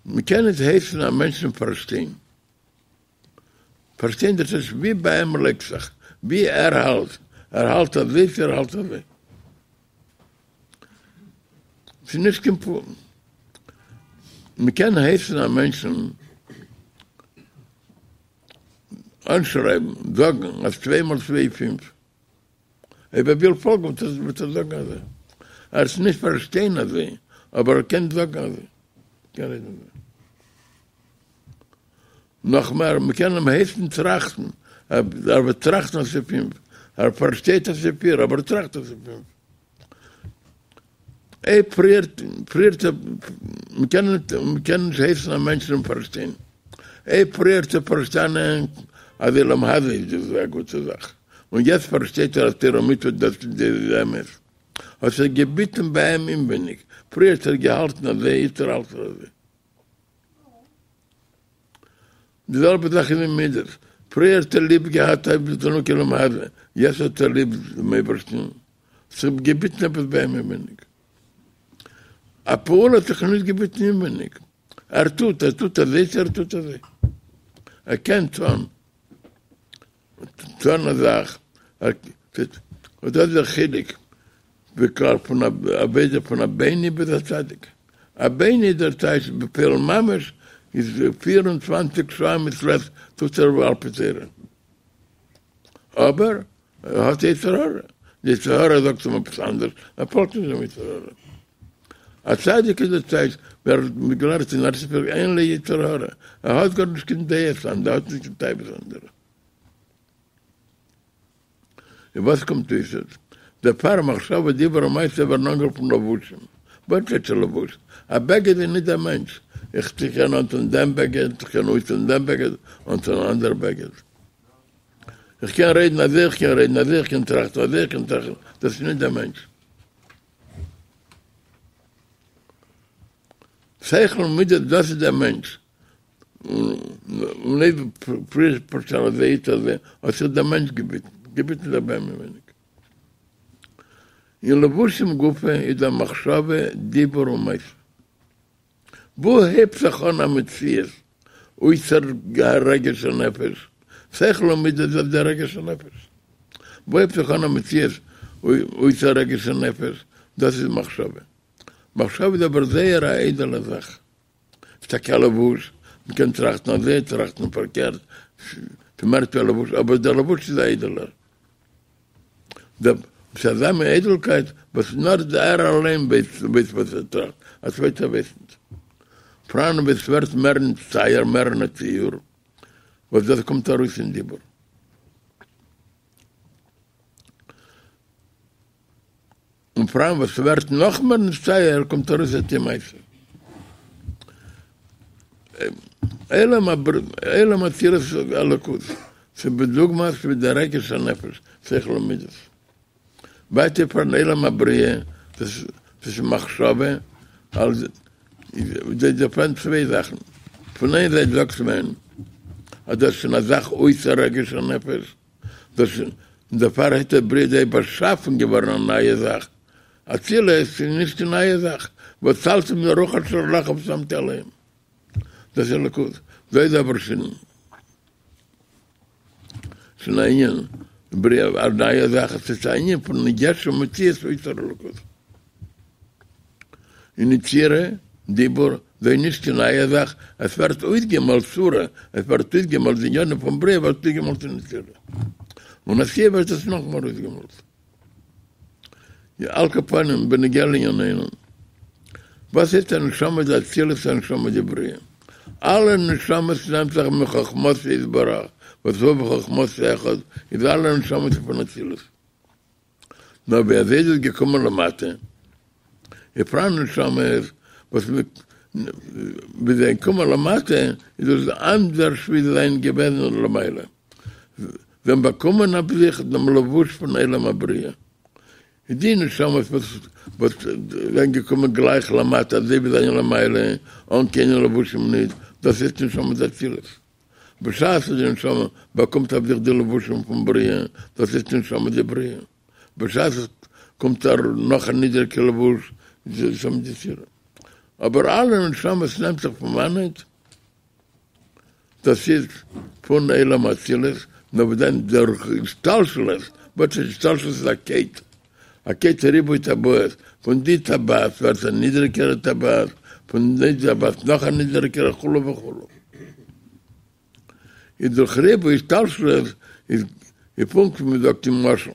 מ'קען נישט הייסן א מענטשן פארשטיין. פארשטיין דאס איז ווי ביי אים לייגט זיך, ווי ער האלט, ער האלט אזוי צו ער האלט אזוי. ס'איז נישט קיין פ. מ'קען הייסן א מענטשן אנשרייבן, זאגן אז צוויי מאל צוויי איז פינף. אויב ער וויל פאלגן וועט ער זאגן אזוי. ער וועט נישט פארשטיין אזוי, אבער ער קען זאגן אזוי. קען רעדן אזוי. נאך מער, מ'קען אים הייסן טראכטן, ער וועט טראכטן אז ס'איז פינף. ער פארשטייט אז ס'איז פיר, אבער ער טראכט אז ס'איז פינף. אויב פריער, פריער, מ'קען מ'קען נישט הייסן א מענטשן פארשטיין. אויב פריער האט ער פארשטאנען אז עולם הזה איז דאס א גוטע זאך, און יעצט פארשטייט ער אז תורה ומצוות דאס איז אמת, האט זיך געביטן ביי אים אינווייניג, פריער האט ער געהאלטן אזוי, איצטער האלט ער אזוי. די זעלבע זאך איז אין מידות, פריער האט ער ליב געהאט תענוגי עולם הזה, יעצט האט ער ליב דעם אייבערשטן, ס'האט זיך געביטן עפעס ביי אים אינווייניג. א פעולה האט זיך נישט געביטן אינווייניג, ער טוט, ער טוט אזוי צו ער טוט אזוי, ער קען טון, טון א זאך, און דאס איז דער חילוק בכלל פון עבודה פון א בינוני ביז א צדיק, א בינוני דער טייטש בפועל ממש איז 24 שעה א מעת לעת טוט ער על פי תורה, אבער ער האט יצר הרע, די יצר הרע זאגט אים עפעס אנדערש, ער פאלגט נישט דעם יצר הרע. א צדיק איז דער טייטש, ווי ער האט מיר געלערנט אין ארץ ישראל אין לו יצר הרע, ער האט גארנישט קיין דעות אנדערע, ער האט נישט קיין תאוות אנדערע. און וואס קומט אויס איז, דערפאר מחשבה דיבור ומעשה ווערן אנגערופן לבושים. וואס טייטש א לבוש? א בגד איז נישט דער מענטש, איך קען אנטון דעם בגד, איך קען אויסטון דעם בגד, אנטון אן אנדער בגד. איך קען רעדן אזוי, איך קען רעדן אזוי, איך קען טראכטן אזוי, איך קען טראכטן, דאס איז נישט דער מענטש. שכל און מידות, דאס איז דער מענטש. און אויב פריער פארשטאנען אזוי איצט אזוי, האט זיך דער מענטש געביטן, געביטן זיך ביי אים אינווייניג. אין לבושים גופא איז דא מחשבה, דיבור און מעשה. וואו הייבט זיך אן א מציאות אויסער רגש הנפש? שכל און מידות איז דער רגש הנפש. וואו הייבט זיך אן א מציאות אויסער רגש הנפש? דאס איז מחשבה. מחשבה איז אבער זייער א איידעלע זאך. ס'איז טאקע א לבוש, מ'קען טראכטן אזוי, טראכטן פארקערט, ס'מער ווי א לבוש, אבער דער לבוש איז א איידעלער. ס'איז אזא מין איידלקייט וואס נאר ער אליין ווייסט וואס ער טראכט, א צווייטער ווייסט נישט. פאראן וואס ווערט מער נצטייר מער אין א ציור, וואס דאס קומט ארויס אין דיבור. און פאראן וואס ווערט נאך מער נצטייר קומט ארויס אין מעשה. עולם היצירה אלוקות, ס'איז בדוגמת ווי דער רגש הנפש, שכל ומידות. ווייטער פאראן עולם הבריאה, דאס איז מחשבה, אלזא איז דא פאראן צוויי זאכן, פון איין זייט זאגט מען אז דאס איז שוין א זאך אויסער רגש הנפש, דאס און דערפאר הייסט עס בריאה דא איז באשאפן געווארן א נייע זאך, אצילות איז נישט קיין נייע זאך, ואצלתי מן הרוח אשר עליך ושמתי עליהם, דאס איז אלוקות, דא איז אבער שוין שוין א ענין בריאה א נייע זאך, עס איז א ענין פון יש ומציאות אויסער אלוקות. אין יצירה, דיבור, דא איז נישט קיין נייע זאך, עס ווערט אויסגעמאלט צורה, עס ווערט אויסגעמאלט די ענינים פון בריאה ווערט אויסגעמאלט אין יצירה. און עשיה ווערט עס נאכמער אויסגעמאלט. על כל פנים, בנוגע לענינינו, וואס הייסט א נשמה דאצילות א נשמה דבריאה? אלע נשמות נעמט זיך מחכמתו יתברך, וואס הוא וחכמתו אחד, איז אלע נשמות פון אצילות. נאר ווי אזוי איז עס געקומען למטה? איז פאראן נשמות וואס ווי זיי קומען למטה איז דאס אנדערש ווי זיי זענען געוועזן למעלה, זיי האבן באקומען אויף זיך דעם לבוש פון עולם הבריאה, איז די נשמות וואס זענען געקומען גלייך למטה אזוי ווי זיי זענען למעלה אן קיינע לבושים נישט, דאס הייסט נשמה דאצילות. בשעת די נשמה באקומט אויף זיך די לבושים פון בריאה, דאס איז נשמה דבריאה. בשעת עס קומט אראפ נאך א נידעריגע לבוש, נשמה דיתירא. אבער אלע נשמות נעמט זיך פון וואנעט? דאס איז פון עולם האצילות, נאר וואס דען דורך השתלשלות, וואס איז השתלשלות איז א קייט, א קייט ריבוי טבעות, פון די טבעת ווערט א נידריגערע טבעת, פון די טבעת נאך א נידריגערע וכו' וכו'. איז דורך ריבוי השתלשלות איז פונקט ווי מ'זאגט אין משל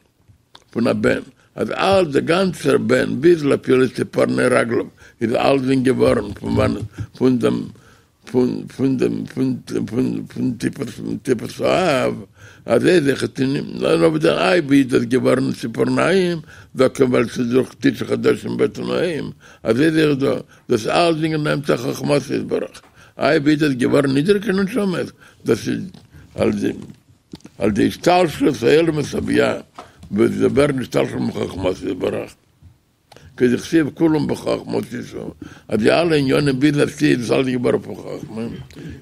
פון א בן, אז אלץ דער גאנצער בן ביז אפילו ציפורני רגליו איז אלצדינג געווארן פון וואנעט פון דעם פון פון דעם פון פון פון טיפת טיפת האב, אזוי איז אויכעט אין נאר וואס דען איי ווי איז דאס געווארן ציפורניים דוקא ווייל ס'איז דורך תשעה חדשים בטן האם, אזוי איז אויך דא, דאס אלצדינג נעמט זיך חכמתו יתברך, איי ווי איז דאס געווארן נידריגע נשמות, דאס איז על די על ידי השתלשלות העולמות הבי"ע וואס זיי ווערן נשתלשל מחכמתו יתברך. כדכתיב כולם בחכמה עשיתו, אז די אלע עניינים ביז עשיה איז אלעס געווארן פון חכמה,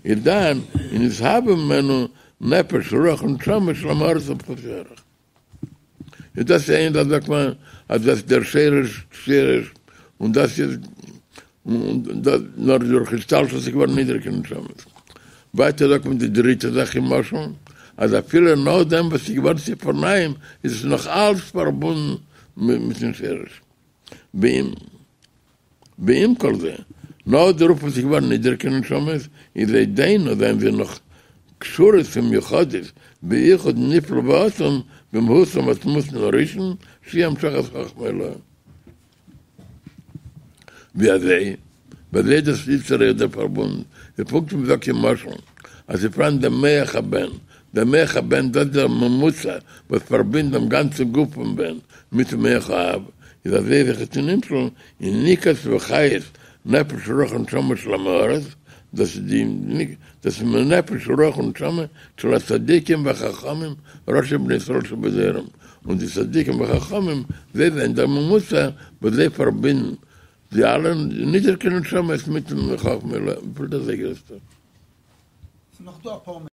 איז דאן איז נתהווה ממנו נפש רוח ונשמה של עם הארץ ופחותי ערך. איז דאס איין זאך זאגט מען אז דאס איז דער שרש שרש און דאס איז נאר דורך השתלשלות איז געווארן נידריגע נשמות. ווייטער זאגט מען די דריטע זאך אין משל אז אפילו נאכדעם וואס ס'איז געווארן ציפורניים איז עס נאך אלץ פארבונדן מיטן שרש. ועם כל זה, נאך דערויף וואס ס'איז געווארן נידריגע נשמות, איז עודנו זענען זיי נאך קשורות ומיוחדות ביחוד נפלא ועצום במהותם ועצמותם הראשון שהיא המשכת חכמה עילאה. ווי אזוי? ווי אזוי איז דאס איצטער דער פארבונד? איז פונקט ווי מ'זאגט אין משל אז ס'איז פאראן דער מח הבן, דער מח הבן דאס איז דער ממוצע וואס פארבינדט דעם גאנצן גוף פון בן מיטן מח האב, איז אזוי איז אויכעט אין נמשל יניקת וחיות נפש רוח ונשמה של עם הארץ, דאס איז די דאס איז מנפש רוח ונשמה של הצדיקים והחכמים ראשי בני ישראל שבדורם, און די צדיקים וחכמים זיי זענען דער ממוצע וואס זיי פארבינדן די אלע נידריגע נשמות מיטן חכמה עילאה, וויפיל דאס איז גרעסטער. ס'איז נאך דא אפאר.